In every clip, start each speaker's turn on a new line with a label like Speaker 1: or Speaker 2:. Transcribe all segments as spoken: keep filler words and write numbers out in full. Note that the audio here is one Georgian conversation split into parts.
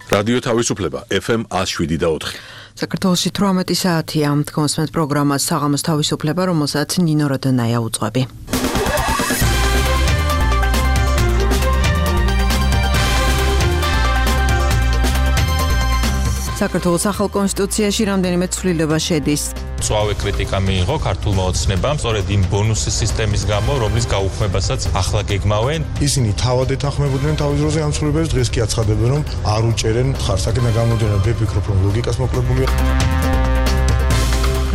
Speaker 1: რადიო თავისუფლება ეფ ემ ათს შვიდი და ოთხი.
Speaker 2: საქართველოში თვრამეტი საათია. თქვენს პროგრამას საღამოს თავისუფლება, რომელსაც ნინო როდონაია უძღვები. საქართველოს ახალ კონსტიტუციაში რამდენიმე ცვლილება შედის.
Speaker 3: მწვავე კრიტიკა მიიღო ქართულმა ოცნებამ, სწორედ იმ ბონუსის სისტემის გამო, რომლის გაუქმებასაც ახლა გეგმავენ.
Speaker 4: ისინი თავად ეთანხმებოდნენ თავის დროზე ამ ცვლილებებს, დღეს კი აცხადებენ, რომ არ უჭერენ ხარს. აქედან გამომდინარე, ვფიქრობ, რომ ლოგიკას მოკლებულია.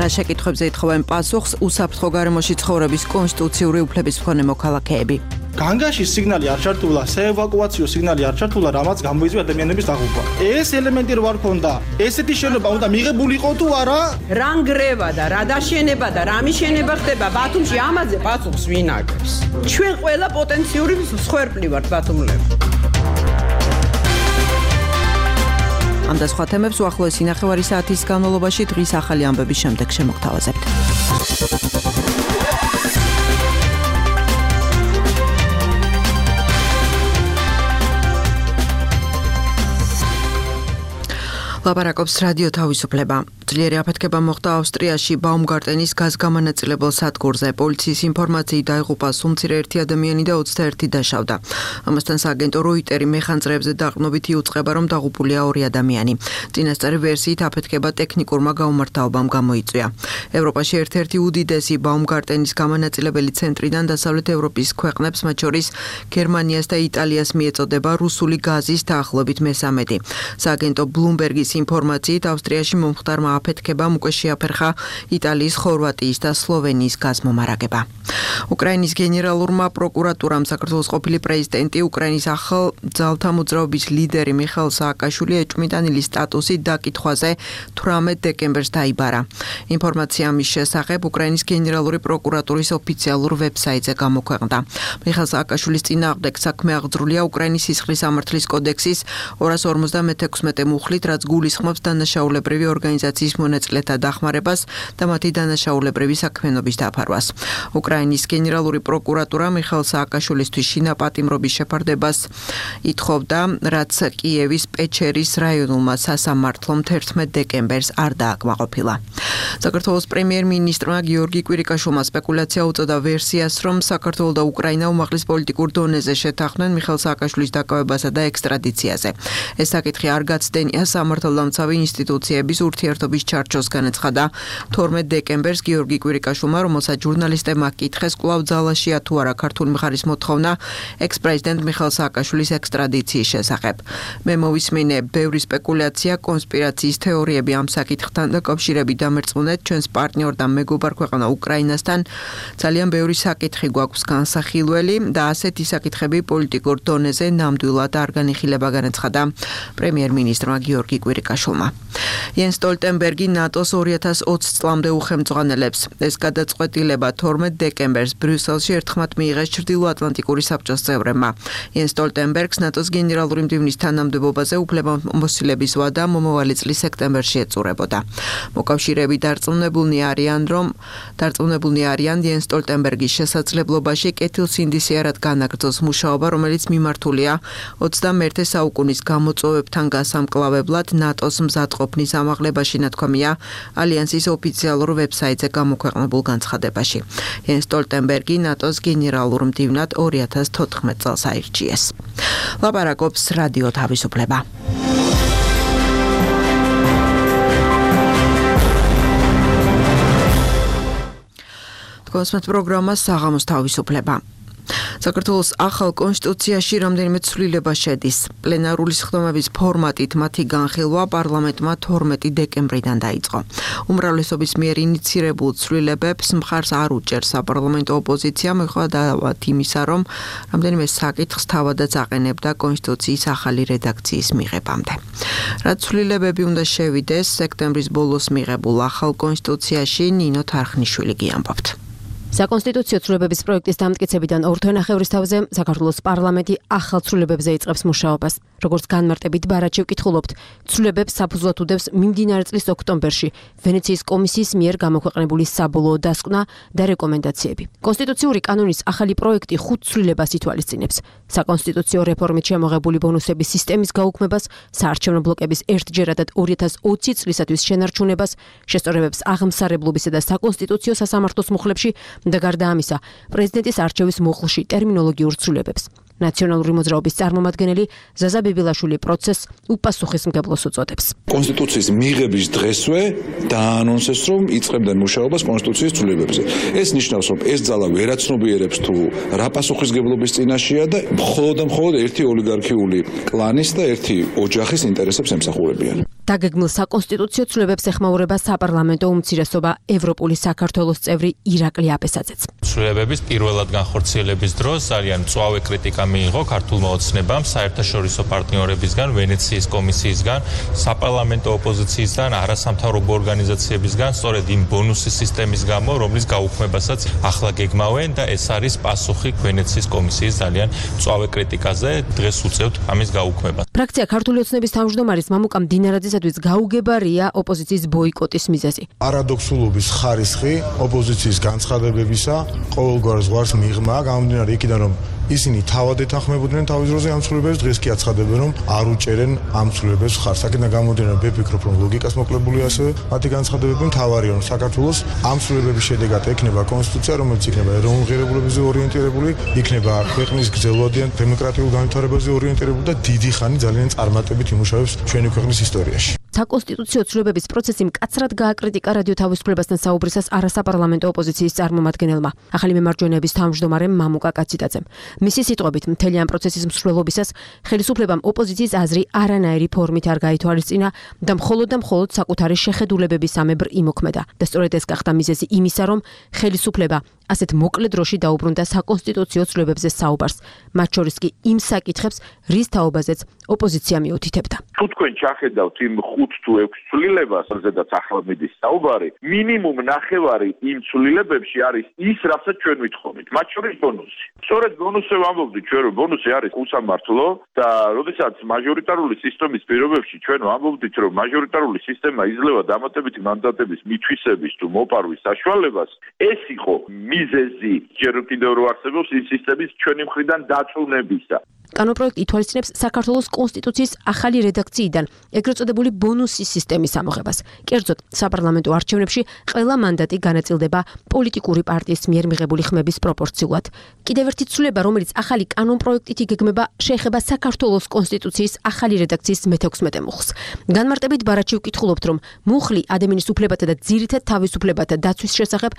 Speaker 2: რა შეკითხვებზე ეთხოვენ პასუხს უსაფრთხო გარემოში ცხოვრების კონსტიტუციური უფლების მქონე მოქალაქეები.
Speaker 5: განგაში სიგნალი არ ჩართულა, საევაკუაციო სიგნალი არ ჩართულა, რამაც გამოიწვია ადამიანების დაღუპვა. ეს ელემენტი რო არ ქონდა, ესეთი შენობა უნდა მიღებულიყო თუ არა?
Speaker 6: რა ნგრევა და რა დაშენება და რა მიშენება ხდება ბათუმში, ამაზე პასუხს ვინ აკეთებს? ჩვენ ყველა პოტენციური მსხვერპლი ვართ ბათუმლები.
Speaker 2: ამ და სხვა თემებს უახლოესი ნახევარი საათის განმავლობაში დღის ახალი ამბების შემდეგ შემოგთავაზებთ. ლაპარაკობს რადიო თავისუფლება. ძლიერი აფეთქება მოხდა ავსტრიაში ბაუმგარტენის გაზგამანაწილებელ სადგურზე. პოლიციის ინფორმაციით დაიღუპა სულ-მცირე ერთი ადამიანი და ოცდაერთი დაშავდა. ამასთან სააგენტო როიტერი მეხანძრეებზე დაყრდნობით იუწყება, რომ დაღუპულია ორი ადამიანი. წინასწარი ვერსიით აფეთქება ტექნიკურმა გაუმართავობამ გამოიწვია. ევროპაში ერთ-ერთი უდიდესი ბაუმგარტენის გამანაწილებელი ცენტრიდან დასავლეთ ევროპის ქვეყნებს, მათ შორის გერმანიას და იტალიას მიეწოდება რუსული გაზის დაახლოებით მესამედი. სააგენტო ბლუმბერგის ინფორმაციით ავსტრიაში მომხდარმა აფეთქებამ უკვე შეაფერხა იტალიის, ხორვატიის და სლოვენიის გაზმომარაგება. უკრაინის გენერალურმა პროკურატურამ საქართველოს ყოფილი პრეზიდენტი, უკრაინის ახალ ძალთა მოძრაობის ლიდერი მიხაილ სააკაშვილი ეჭვმიტანილის სტატუსით დაკითხვაზე თვრამეტ დეკემბერს დაიბარა. ინფორმაცია ამის შესახებ უკრაინის გენერალური პროკურატურის ოფიციალურ ვებსაიტზე გამოქვეყნდა. მიხაილ სააკაშვილის წინააღმდეგ საქმე აღძრულია უკრაინის სისხლის სამართლის კოდექსის ორას ორმოცდამეექვსმეტე მუხლით, რაც გულისხმობს დანაშაულებრივი ორგანიზაციის მონაწილეთა დახმარებას და მათი დანაშაულებრივი საქმიანობის დაფარვას. უკრაინის გენერალური პროკურატურა მიხაილ სააკაშვილისთვის შინაპატიმრობის შეფარდებას ითხოვდა, რაც კიევის პეჩერის რაიონულმა სასამართლომ თერთმეტ დეკემბერს არ დააკმაყოფილა. საქართველოს პრემიერ-მინისტრმა გიორგი კვირიკაშვილმა სპეკულაცია უწოდა ვერსიას, რომ საქართველო და უკრაინა უმაღლეს პოლიტიკურ დონეზე შეთანხმდნენ მიხაილ სააკაშვილის დაკავებასა და ექსტრადიციაზე. ეს საკითხი არ გაცდენია სამართალდამცავი ინსტიტუციების ურთიერთობის ჩარჩოს, განაცხადა თორმეტ დეკემბერს გიორგი კვირიკაშვილმა, რომელსაც ჟურნალისტებმა კითხეს, კვლავ ძალაშია თუ არა ქართული მხარის მოთხოვნა ექს-პრეზიდენტ მიხაილ სააკაშვილის ექსტრადიციის შესახებ. მე მოვისმინე ბევრი სპეკულაცია, კონსპირაციის თეორიები ამ საკითხთან დაკავშირებით დამერწმუნეთ ჩვენს პარტნიორ და მეგობარ ქვეყანა უკრაინასთან. ძალიან ბევრი საკითხი გვაქვს განსახილველი და ასეთი საკითხები პოლიტიკურ დონეზე ნამდვილად არ განიხილება, განაცხადა პრემიერ-მინისტრმა გიორგი კვირიკაშვილმა. იენს სტოლტენბერგი ნატოს ორი ათას ოცი წლამდე უხელმძღვანელებს. ეს გადაწყვეტილება თორმეტ დეკემბერს ბრიუსელში ერთხმად მიიღეს ჩრდილოატლანტიკური საბჭოს წევრებმა. იენს სტოლტენბერგს ნატოს გენერალური მდივნის თანამდებობაზე უფლებამოსილების ვადა მომავალი წლის სექტემბერში ეწურებოდა. მოკავშირეები დარწმუნებულნი არიან, რომ დარწმუნებულნი არიან იენს სტოლტენბერგის შესაძლებლობაში კეთილსინდისიერად განაგრძოს მუშაობა, რომელიც მიმართულია ოცდამეერთე საუკუნის გამოწვევებთან გასამკლავებლად ნატოს მზადყოფნის ამაღლებაში, ნათქვამია ალიანსის ოფიციალურ ვებსაიტზე გამოქვეყნებულ განცხადებაში. იენს სტოლტენბერგი ნატოს გენერალურ მდივნად ორი ათას თოთხმეტ წელს აირჩიეს. ლაპარაკობს რადიო თავისუფლება. თქვენს პროგრამას საღამოს თავისუფლება. საქართველოს ახალ კონსტიტუციაში რამდენიმე ცვლილება შედის. პლენარული სხდომების ფორმატით მათი განხილვა პარლამენტმა თორმეტი დეკემბრიდან დაიწყო. უმრავლესობის მიერ ინიცირებულ ცვლილებებს მხარს არ უჭერს საპარლამენტო ოპოზიცია, მიუხედავად იმისა, რომ რამდენიმე საკითხს თავადაც აყენებდა კონსტიტუციის ახალი რედაქციის მიღებამდე. რაც ცვლილებები უნდა შევიდეს სექტემბრის ბოლოს მიღებულ ახალ კონსტიტუციაში, ნინო თარხნიშვილი გიამბობთ.
Speaker 7: საკონსტიტუციო ცვლილებების პროექტის დამტკიცებიდან ორ თვენახევრის თავზე საქართველოს პარლამენტი ახალ ცვლილებებზე იწყებს მუშაობას. Როგორც განმარტებით ბარაჩევ კითხულობთ, ცვლილებებს საფუძვლად უდევს მიმდინარე წლის ოქტომბერში ვენეციის კომისიის მიერ გამოქვეყნებული საბოლოო დასკვნა და რეკომენდაციები. კონსტიტუციური კანონის ახალი პროექტი ხუთ ცვლილებას ითვალისწინებს. საკონსტიტუციო რეფორმით შემოღებული ბონუსების სისტემის გაუქმებას, საარჩევნო ბლოკების ერთჯერადად ორი ათას ოცი წლისათვის შენარჩუნებას, შესწორებებს აღმსარებლობისა და საკონსტიტუციო სასამართლოს მუხლებში და გარდა ამისა, პრეზიდენტის არჩევის მუხლში ტერმინოლოგიურ ცვლილებებს. ნაციონალური მოძრაობის წარმომადგენელი ზაზა ბიბილაშვილი პროცესს უპასუხისმგებლოს უწოდებს.
Speaker 8: კონსტიტუციის მიღების დღესვე დაანონსეს, რომ იწყებდნენ მუშაობას კონსტიტუციის ცვლილებებზე. ეს ნიშნავს, რომ ეს ძალა ვერაცნობიერებს თუ რა პასუხისმგებლობის წინაშეა და მხოლოდ და მხოლოდ ერთი ოლიგარქიული კლანის და ერთი ოჯახის ინტერესებს ემსახურებიან.
Speaker 7: დაგეგმილ საკონსტიტუციო ცვლილებებს ეხმაურება საპარლამენტო უმცირესობა ევროპული საქართველოს წევრი ირაკლი აბესაძეც.
Speaker 3: ცვლილებების პირველად განხორციელების დროს ძალიან მწვავე კრიტიკა მიიღო ქართულმა ოცნებამ, საერთაშორისო პარტნიორებისგან, ვენეციის კომისიისგან, საპარლამენტო ოპოზიციისგან, არასამთავრობო ორგანიზაციებისგან, სწორედ იმ ბონუსის სისტემის გამო, რომლის გაუქმებასაც ახლა გეგმავენ და ეს არის პასუხი ვენეციის კომისიის ძალიან მწვავე კრიტიკაზე, დღეს უწევთ ამის გაუქმებას.
Speaker 7: ფრაქცია ქართული ოცნების თავმჯდომარის მამუკა მდინარაძისათვის გაუგებარია ოპოზიციის ბოიკოტის მიზეზი.
Speaker 4: არადოქსულობის ხარისხი ოპოზიციის განცხადებებისა ყოველგვარ ზღვარს მიღმა, გამომდინარე იქიდან, რომ ისინი თავად ეთანხმებოდნენ თავის დროზე ამ ცვლილებებს, დღეს კი აცხადებენ, რომ არ უჭერენ ამ ცვლილებებს ხარს. აქედან გამომდინარე, მე ვფიქრობ, რომ ლოგიკას მოკლებული ასევე მათი განცხადებები მთავარია, რომ საქართველოს ამ ცვლილებების შედეგად ექნება კონსტიტუცია, რომელიც იქნება ეროვნულ ღირებულებებზე ორიენტირებული, იქნება ქვეყნის გრძელვადიან დემოკრატიულ განვითარებაზე ორიენტირებული და დიდი ხანი ძალიან წარმატებით იმუშავებს ჩვენი ქვეყნის ისტორიაში.
Speaker 7: საკონსტიტუციო ცვლილებების პროცესი მკაცრად გააკრიტიკა რადიო თავისუფლებასთან საუბრისას არასაპარლამენტო ოპოზიციის წარმომადგენელმა, ახალი მემარჯვენეების თავმჯდომარემ მამუკა კაციტაძემ. მისი სიტყვებით, მთელი ამ პროცესის მსვლელობისას ხელისუფლებამ ოპოზიციის აზრი არანაირი ფორმით არ გაითვალისწინა და მხოლოდ და მხოლოდ საკუთარი შეხედულებების ამებრ იმოქმედა. და სწორედ ეს გახდა მიზეზი იმისა, რომ ხელისუფლება ასეთ მოკლე დროში დაუბრუნდა საკონსტიტუციო ცვლილებებზე საუბარს, მათ შორის კი იმ საკითხებს, რის თაობაზეც ოპოზიცია მიუთითებდა.
Speaker 9: თუ თქვენ ჩახედავთ იმ ხუთ თუ ექვს ცვლილებას, რაზედაც ახლა მიდის საუბარი, მინიმუმ ნახევარი იმ ცვლილებებში არის ის, რასაც ჩვენ ვითხოვით, მათ შორის ბონუსი. სწორედ ბონუსზე ვამბობდით ჩვენ, რომ ბონუსი არის უსამართლო და როდესაც მაჟორიტარული სისტემის პირობებში ჩვენ ვამბობდით, რომ მაჟორიტარული სისტემა იძლევა დამატებითი მანდატების მითვისების თუ მოპარვის საშუალებას, ეს იყო მიზეზი ჯერ კიდევ რო არსებობს ის სისტემის ჩვენი მხრიდან დაწუნებისა.
Speaker 7: კანონპროექტი ითვალისწინებს საქართველოს კონსტიტუციის ახალი რედაქციიდან ეგრეთ წოდებული ბონუსის სისტემის ამოღებას. კერძოდ, საპარლამენტო არჩევნებში ყველა მანდატი განაწილდება პოლიტიკური პარტიის მიერ მიღებული ხმების პროპორციულად. კიდევ ერთი ცვლილება, რომელიც ახალი კანონპროექტით იგეგმება, შეეხება საქართველოს კონსტიტუციის ახალი რედაქციის მეთექვსმეტე მუხლს. განმარტებით ბარაჩევ კითხულობთ, რომ მუხლი ადამიანის უფლებათა და ძირითად თავისუფლებათა დაცვის შესახებ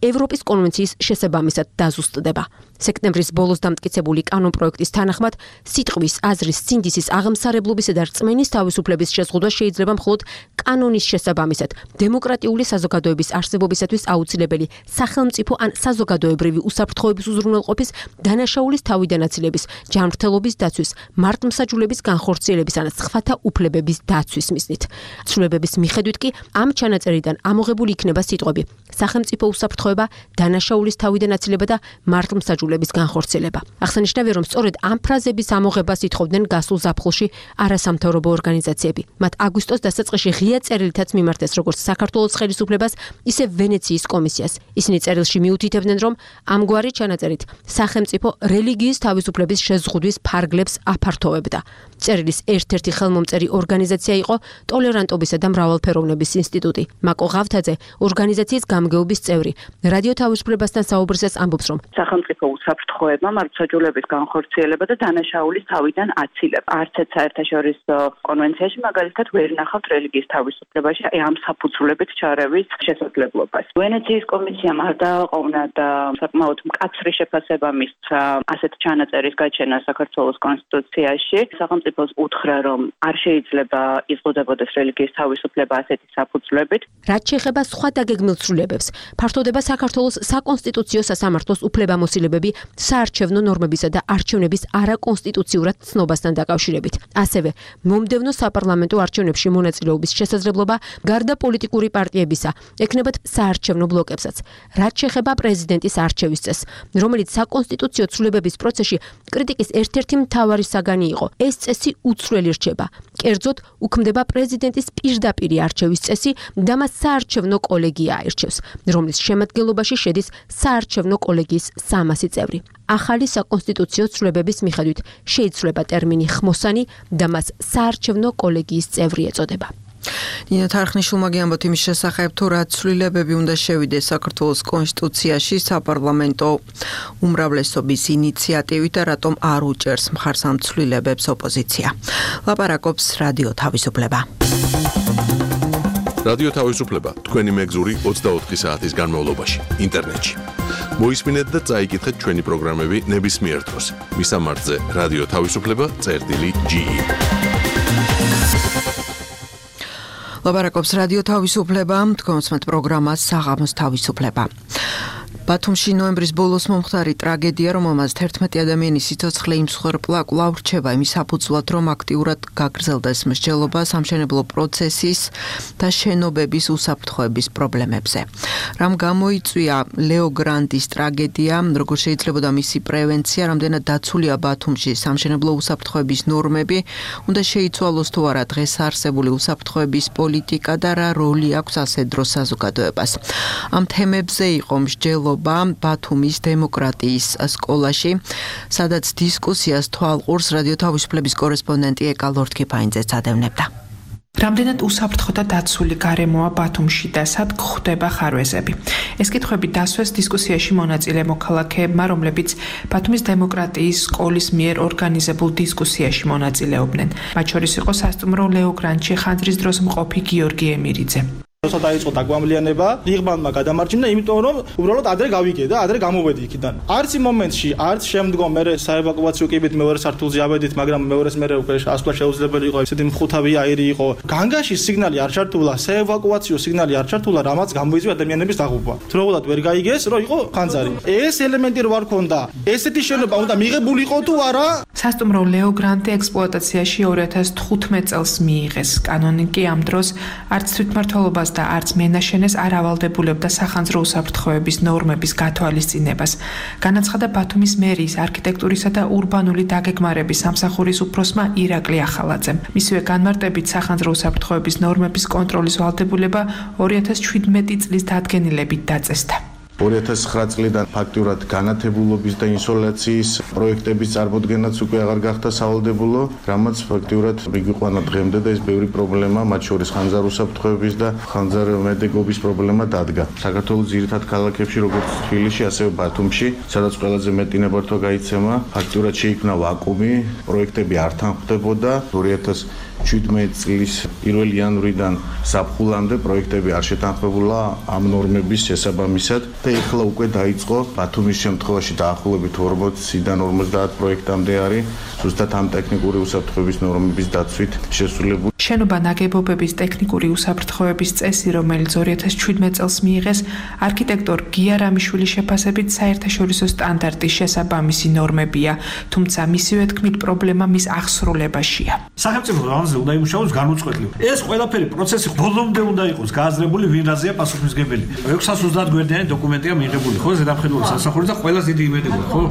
Speaker 7: ევროპის კონვენციის შესაბამისად დაზუსტდება. სექტემბრის ბოლოს დამტკიცებული კანონპროექტის თანახმად სიტყვის, აზრის, სინდისის, აღმსარებლობისა და რწმენის თავისუფლების შეზღუდვა შეიძლება მხოლოდ კანონის შესაბამისად, დემოკრატიული საზოგადოების არსებობისათვის აუცილებელი სახელმწიფო ან საზოგადოებრივი უსაფრთხოების უზრუნველყოფის, დანაშაულის თავიდანაწილების, ჯანმრთელობის დაცვის, მართლმსაჯულების განხორციელების ან სხვათა უფლებების დაცვის მიზნით. ცვლილებების მიხედვით კი ამ ჩანაწერიდან ამოღებული იქნება სიტყვები: სახელმწიფო უსაფრთხოება, დანაშაულის თავიდანაწილება და მართლმსაჯულების განხორციელება. აღსანიშნავია, რომ სწორედ ამ ფრაზების ამოღებას ითხოვდნენ გასულ ზაფხულში არასამთავრობო ორგანიზაციები. მათ აგვისტოს დასაწყისში ღია წერილითაც მიმართეს როგორც საქართველოს ხელისუფლებას, ისე ვენეციის კომისიას. ისინი წერილში მიუთითებდნენ, რომ ამგვარი ჩანაწერით სახელმწიფო რელიგიის თავისუფლების შეზღუდვის ფარგლებს აფართოვებდა. წერილის ერთ-ერთი ხელმომწერი ორგანიზაცია იყო ტოლერანტობისა და მრავალფეროვნების ინსტიტუტი. მაკო ღავთაძე, ორგანიზაციის გამგეობის წევრი, რადიო თავისუფლებასთან საუბრისას ამბობს, რომ
Speaker 10: სახელმწიფო უსაფრთხოება, მართლმსაჯულების განხორციელება და დანაშაულის თავიდან აცილება. არც ერთ საერთაშორისო კონვენციაში მაგალითად ვერ ნახავთ რელიგიის თავისუფლებაში ამ საფუძვლებით ჩარევის შესაძლებლობას. ვენეციის კომისიამ არ დააყოვნა და საკმაოდ მკაცრი შეფასება მისცა ასეთ ჩანაწერის გაჩენა საქართველოს კონსტიტუციაში. სახელმწიფო სახელმწიფოს უთხრა, რომ არ შეიძლება იზღუდებოდეს რელიგიის თავისუფლება ასეთი საფუძვლებით.
Speaker 7: რაც შეეხება სხვა დაგეგმილ ცვლილებებს, ფართოვდება საქართველოს საკონსტიტუციო სასამართლოს უფლებამოსილებები საარჩევნო ნორმებისა და არჩევნების არაკონსტიტუციურად ცნობასთან დაკავშირებით. ასევე მომდევნო საპარლამენტო არჩევნებში მონაწილეობის შესაძლებლობა გარდა პოლიტიკური პარტიებისა ექნებათ საარჩევნო ბლოკებსაც. რაც შეეხება პრეზიდენტის არჩევის წესს, რომელიც საკონსტიტუციო ცვლილებების პროცესში კრიტიკის ერთ-ერთი მთავარი საგანი იყო, ეს წესი უცვლელი რჩება. კერძოდ, უქმდება პრეზიდენტის პირდაპირი არჩევის წესი და მას საარჩევნო კოლეგია აირჩევს, რომლის შემადგენლობაში შედის საარჩევნო კოლეგიის სამასი წევრი. ახალი საკონსტიტუციო ცვლილებების მიხედვით შეიცვლება ტერმინი ხმოსანი და მას საარჩევნო კოლეგიის წევრი ეწოდება.
Speaker 2: ნინო თარხნიშვილმა გიამბოთ იმის შესახებ, თუ რა ცვლილებები უნდა შევიდეს საქართველოს კონსტიტუციაში საპარლამენტო უმრავლესობის ინიციატივით და რატომ არ უჭერს მხარს ამ ცვლილებებს ოპოზიცია. ლაპარაკობს რადიო თავისუფლება.
Speaker 1: რადიო თავისუფლება თქვენი მეგზური ოცდაოთხი საათის განმავლობაში ინტერნეტში. მოისმინეთ და წაიკითხეთ ჩვენი პროგრამები ნებისმიერ დროს. მისამართზე რადიო თავისუფლება წერტილი ჯი.
Speaker 2: ლაპარაკობს რადიო თავისუფლება, თქვენსმეთ პროგრამას საღამოს თავისუფლება. ბათუმში ნოემბრის ბოლოს მომხდარი ტრაგედია, რომელმაც თერთმეტი ადამიანის სიცოცხლე იმსხვერპლა, კვლავ რჩება იმის საფუძვლად, რომ აქტიურად გაგრძელდეს მსჯელობა სამშენებლო პროცესის და შენობების უსაფრთხოების პრობლემებზე. რამ გამოიწვია ლეო გრანდის ტრაგედია, როგორ შეიძლებოდა მისი პრევენცია, რამდენად დაცულია ბათუმში სამშენებლო უსაფრთხოების ნორმები, უნდა შეიცვალოს თუ არა დღეს არსებული უსაფრთხოების პოლიტიკა და რა როლი აქვს ასეთ დროს საზოგადოებას. ამ თემებზე იყო მსჯელობა ბათუმის დემოკრატიის სკოლაში, სადაც დისკუსიას თვალყურს რადიო თავისუფლების კორესპონდენტი ეკა ლორთქიფაინძე წადევნებდა.
Speaker 11: რამდენად უსაფრთხო და დაცული გარემოა ბათუმში და სად გვხვდება ხარვეზები? ეს კითხვები დასვეს დისკუსიაში მონაწილე მოქალაქეებმა, რომლებიც ბათუმის დემოკრატიის სკოლის მიერ ორგანიზებულ დისკუსიაში მონაწილეობდნენ. მათ შორის იყო სასტუმრო ლეო გრანდში ხანძრის დროს მყოფი გიორგი ემირიძე.
Speaker 5: როცა დაიწყო დაგვამლიანება, ღირბანმა გადამარჯვნა, იმიტომ რომ უბრალოდ ადრე გავიგე და ადრე გამოვედი იქიდან. არც იმ მომენტში, არც შემდგომ მე საევაკუაციო კიბით მეორე სართულზე ავედით, მაგრამ მეორეს მე უკვე ასვლა შეუძლებელი იყო, ესეთი მხუთავი აირი იყო. განგაში სიგნალი არ ჩართულა, საევაკუაციო სიგნალი არ ჩართულა, რამაც გამოიწვია ადამიანების დაღუპვა. თროულად ვერ გაიგეს, რომ იყო ხანძარი. ეს ელემენტი რო არ ქონდა, ესეთი შენობა უნდა მიღებული იყო თუ არა?
Speaker 11: სასტუმრო ლეო გრანდი ექსპლუატაციაში ორი ათას თხუთმეტ წელს მიიღეს. კანონიკი ამ დროს არც თვითმმართველობას და არც მენაშენეს არ ავალდებულებდა სახანძრო უსაფრთხოების ნორმების გათვალისწინებას. განაცხადა ბათუმის მერიის არქიტექტურისა და ურბანული დაგეგმარების სამსახურის უფროსმა ირაკლი ახალაძემ. მისივე განმარტებით სახანძრო უსაფრთხოების ნორმების კონტროლის ვალდებულება ორი ათას შვიდმეტი წლის დადგენილებით დაწესდა.
Speaker 4: ორი ათას ცხრა წლიდან ფაქტიურად განათებულობის და ინსოლაციის პროექტების წარმოდგენაც უკვე აღარ გახდა სავალდებულო, რამაც ფაქტიურად მიგვიყვანა დღემდე და ეს ბევრი პრობლემა, მათ შორის ხანძარ უსაფრთხოების და ხანძარ მედეგობის პრობლემა დადგა. საქართველოს ძირითად ქალაქებში, როგორც თბილისში, ასევე ბათუმში, სადაც ყველაზე მეტი ნებართვა გაიცემა, ფაქტიურად შეიქმნა ვაკუუმი, პროექტები არ თანხმდებოდა. ორი ათას შვიდმეტი წლის პირველი იანვრიდან ზაფხულამდე პროექტები არ შეთანხმებულა ამ ნორმების შესაბამისად და ეხლა უკვე დაიწყო ბათუმის შემთხვევაში დაახლოებით ორმოციდან ორმოცდაათ პროექტამდე არის ზუსტად ამ ტექნიკური უსაფრთხოების ნორმების დაცვით შესრულებული.
Speaker 11: შენობა ნაგებობების ტექნიკური უსაფრთხოების წესი, რომელიც ორი ათას შვიდმეტ წელს მიიღეს, არქიტექტორ გია რამიშვილის შეფასებით საერთაშორისო სტანდარტის შესაბამისი ნორმებია, თუმცა მისივე თქმით პრობლემა მის აღსრულებაშია.
Speaker 12: სახელმწიფო რამზე უნდა იმუშაოს განუწყვეტლივ. ეს ყველაფერი პროცესი ბოლომდე უნდა იყოს გააზრებული, ვინ რაზეა პასუხისმგებელი. ექვსას ოცდაათ გვერდიანი დოკუმენტია მიღებული, ხო, ზედამხედველობის სასახურის და ყველას დიდი იმედი გვაქვს, ხო?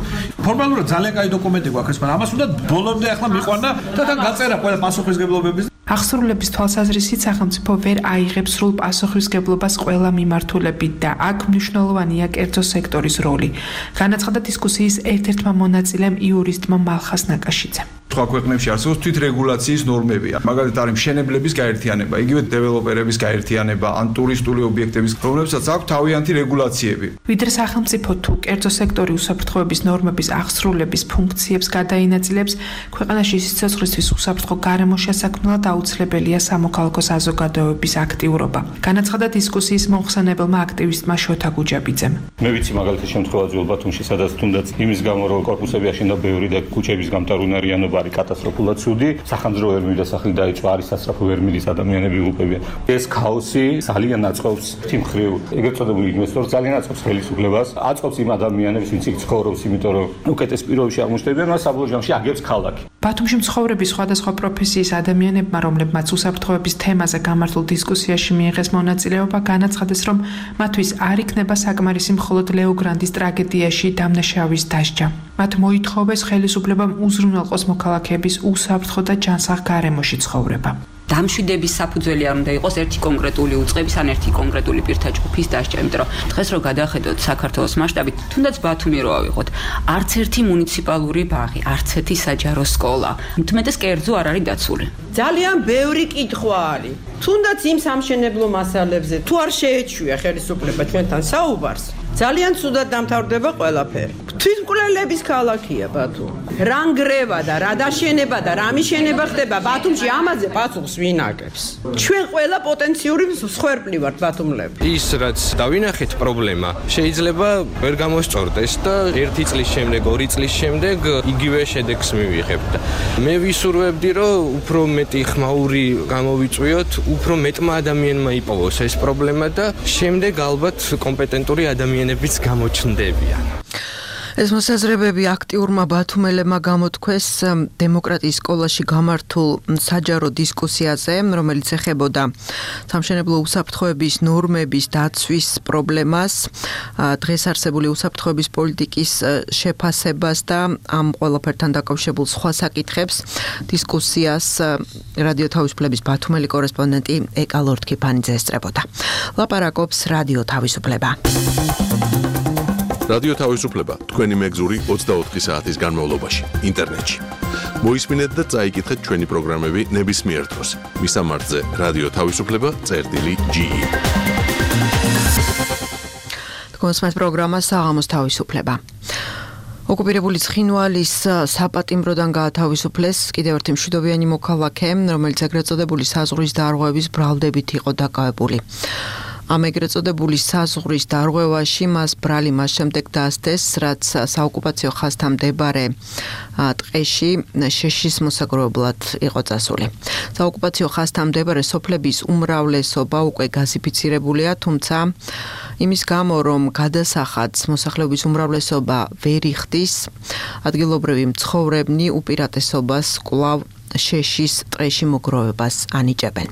Speaker 12: ფორმალურად ძალიან კაი დოკუმენტი გვაქვს, მაგრამ ამას უნდა ბოლომდე ახლა მიყვანა და თან გაწერა ყველა პასუხისმგებლობების.
Speaker 11: აღსრულების თვალსაზრისით სახელმწიფო ვერ აიღებს სრულ პასუხისმგებლობას ყველა მიმართულებით და აქ მნიშვნელოვანია კერძო სექტორის როლი. განაცხადა დისკუსიის ერთ-ერთმა მონაწილემ იურისტმა მალხას ნაკაშიძემ.
Speaker 13: სხვა ქვეყნებში არსებობს თვითრეგულაციის ნორმებია. მაგალითად არის მშენებლების გაერთიანება, იგივე დეველოპერების გაერთიანება, ან ტურისტული ობიექტების, რომლებსაც აქვს თავიანთი რეგულაციები.
Speaker 11: ვიდრე სახელმწიფო თუ კერძო სექტორი უსაფრთხოების ნორმების აღსრულების ფუნქციებს გადაინაწილებს, ქვეყანაში სიცოცხლისთვის უსაფრთხო გარემო შესაქმნელად აუცილებელია სამოქალაქო საზოგადოების აქტიურობა. განაცხადა დისკუსიის მომხსენებელმა აქტივისტმა შოთა გუჯაბიძემ.
Speaker 14: მე ვიცი მაგალითად შემთხვევა ძველ ბათუმში, სადაც თუნდაც იმის გამო რომ კორპუსები აშენდა ბევრი და ქუჩების გამტარუნარიანობა არის კატასტროფულად ცუდი, სახანძრო ვერ მივიდასახლი დაიწყო, არის სასწრაფო ვერ მიდის ადამიანები უყებიან. ეს ქაოსი ძალიან აწყობს თიმხრივ ეგრეთ წოდებული ინვესტორს, ძალიან აწყობს ხელისუფლებას, აწყობს იმ ადამიანებს, ვინც იქ ცხოვრობს, იმიტომ რომ უკეთეს პირობებში აღმოჩნდებიან, მას საბოლოო ჯამში აგებს ქალაქი.
Speaker 11: ბათუმში მცხოვრები სხვადასხვა პროფესიის ადამიანებმა, რომლებმაც უსაფრთხოების თემაზე გამართულ დისკუსიაში მიიღეს მონაწილეობა, განაცხადეს, რომ მათთვის არ იქნება საკმარისი მხოლოდ ლეო გრანდის ტრაგედიაში დამნაშავის დასჯა. მათ მოითხოვეს ხელისუფლებამ უზრუნველყოს მოქალაქეების უსაფრთხო და ჯანსაღ გარემოში ცხოვრება.
Speaker 15: დამშვიდების საფუძველი არ უნდა იყოს ერთი კონკრეტული უწყების ან ერთი კონკრეტული პირთა ჯგუფის დასჯა, იმიტომ რომ დღეს რო გადახედოთ საქართველოს მასშტაბით, თუნდაც ბათუმი რო ავიღოთ, არც ერთი მუნიციპალური ბაღი, არც ერთი საჯარო სკოლა, მთმეტეს კერძო არ არის დაცული.
Speaker 6: ძალიან ბევრი კითხვა არის. თუნდაც იმ სამშენებლო მასალებზე თუ არ შეეჩვია ხელისუფლება ჩვენთან საუბარს, ძალიან ცუდად დამთავრდება ყველაფერი. თვითმკვლელების ქალაქია ბათუმი. რა ნგრევა და რა დაშენება და რა მიშენება ხდება ბათუმში, ამაზე პასუხს ვინ აკეთებს? ჩვენ ყველა პოტენციური მსხვერპლი ვართ ბათუმლები.
Speaker 16: ის რაც დავინახეთ პრობლემა, შეიძლება ვერ გამოსწორდეს და ერთი წლის შემდეგ, ორი წლის შემდეგ იგივე შედეგს მივიღებთ. მე ვისურვებდი, რომ უფრო მეტი ხმაური გამოვიწვიოთ, უფრო მეტმა ადამიანმა იპოვოს ეს პრობლემა და შემდეგ ალბათ კომპეტენტური ადამიანებიც გამოჩნდებიან.
Speaker 2: ეს მოსაზრებები აქტიურმა ბათუმელებმა გამოთქვეს დემოკრატიის სკოლაში გამართულ საჯარო დისკუსიაზე, რომელიც ეხებოდა სამშენებლო უსაფრთხოების ნორმების დაცვის პრობლემას, დღეს არსებული უსაფრთხოების პოლიტიკის შეფასებას და ამ ყველაფერთან დაკავშირებულ სხვა საკითხებს. დისკუსიას რადიო თავისუფლების ბათუმელი კორესპონდენტი ეკა ლორთქიფანიძე ესწრებოდა. ლაპარაკობს რადიო თავისუფლება.
Speaker 1: რადიო თავისუფლება თქვენი მეგზური ოცდაოთხი საათის განმავლობაში ინტერნეტში. მოისმინეთ და წაიკითხეთ ჩვენი პროგრამები ნებისმიერ დროს. მისამართზე რადიო თავისუფლება წერტილი ჯი ი. თქვენს პროგრამა საღამოს თავისუფლება. ოკუპირებული ცხინვალის საპატიმროდან გაათავისუფლეს კიდევ ერთი მშვიდობიანი მოქალაქე, რომელიც ეგრეთ წოდებული საზღვრის დარღვევების ბრალდებით იყო დაკავებული. ამ ეგრეთ წოდებული საზღვრის დარღვევაში მას ბრალი მას შემდეგ დაასდეს, რაც საოკუპაციო ხაზთან მდებარე ტყეში შეშის მოსაგროვებლად იყო წასული. საოკუპაციო ხაზთან მდებარე სოფლების უმრავლესობა უკვე გაზიფიცირებულია, თუმცა იმის გამო, რომ გადასახადს მოსახლეობის უმრავლესობა ვერ იხდის, ადგილობრივი მცხოვრებნი უპირატესობას კვლავ შეშის ტყეში მოგროვებას ანიჭებენ.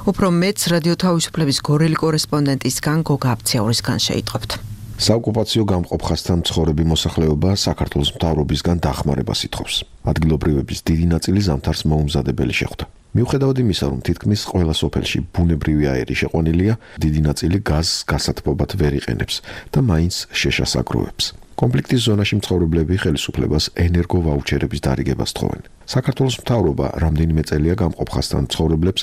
Speaker 1: უფრო მეც რადიო თავისუფლების გორელი კორესპონდენტისგან გოგა აბციაურისგან შეიტყობთ.
Speaker 17: საოკუპაციო გამყოფ ხაზთან მცხოვრები მოსახლეობა საქართველოს მთავრობისგან დახმარებას ითხოვს. ადგილობრივების დიდი ნაწილი ზამთარს მოუმზადებელი შეხვდა. მიუხედავად იმისა, რომ თითქმის ყველა სოფელში ბუნებრივი აირი შეყვანილია, დიდი ნაწილი გაზს გასათბობად ვერ იყენებს და მაინც შეშას აგროვებს. კონფლიქტის ზონაში მცხოვრებლები ხელისუფლებას ენერგო ვაუჩერების დარიგებას თხოვენ. საქართველოს მთავრობა რამდენიმე წელია გამყოფ ხაზთან მცხოვრებლებს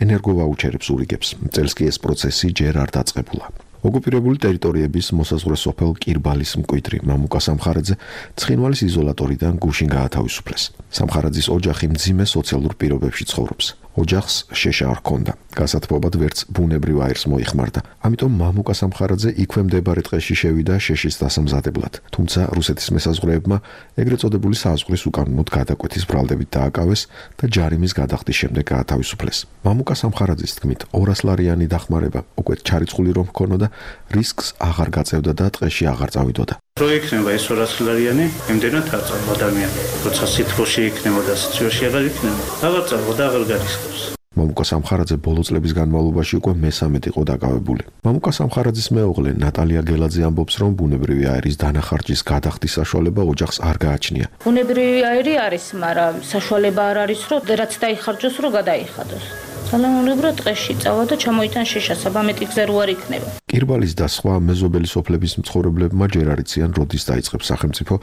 Speaker 17: ენერგო ვაუჩერებს ურიგებს. წელს კი ეს პროცესი ჯერ არ დაწყებულა. ოკუპირებული ტერიტორიების მოსაზღვრე სოფელ კირბალის მკვიდრი მამუკა სამხარაძე ცხინვალის იზოლატორიდან გუშინ გაათავისუფლეს. სამხარაძის ოჯახი მძიმე სოციალურ პირობებში ცხოვრობს. ოჯახს შეშა არ ჰქონდა. გასათბობად ვერც ბუნებრივ აირს მოიხმარდა. ამიტომ მამუკა სამხარაძე იქვე მდებარე ტყეში შევიდა შეშის დასამზადებლად. თუმცა რუსეთის მესაზღვრეებმა ეგრეთ წოდებული საზღვრის უკანონოდ გადაკვეთის ბრალდებით დააკავეს და ჯარიმის გადახდის შემდეგ გაათავისუფლეს. მამუკა სამხარაძის თქმით, ორასლარიანი დახმარება უკვე ჩარიცხული რომ ჰქონოდა, რისკს აღარ გაწევდა და ტყეში აღარ წავიდოდა.
Speaker 18: რო იქნება ეს ორასლარიანი, იმდენად არ წავ ადამიანი. როცა სითბოში იქნება და სიცივეში აღარ იქნება, აღარ წავ და აღარ გარისხობს.
Speaker 17: მამუკა სამხარაძე ბოლო წლების განმავლობაში უკვე მესამედ იყო დაკავებული. მამუკა სამხარაძის მეუღლე ნატალია გელაძე ამბობს, რომ ბუნებრივი აირის დანახარჯის გადახდის საშუალება ოჯახს არ გააჩნია.
Speaker 19: ბუნებრივი აირი არის, მაგრამ საშუალება არ არის, რომ რაც დაიხარჯოს, რომ გადაიხადოს. სალამურებრო ტყეში წავა და ჩამოიტან შეშა, საბამეტი გზა რო არ იქნება.
Speaker 17: კირბალის და სხვა მეზობელი სოფლების მცხოვრებლებმა ჯერ არ იციან, როდის დაიწყებს სახელმწიფო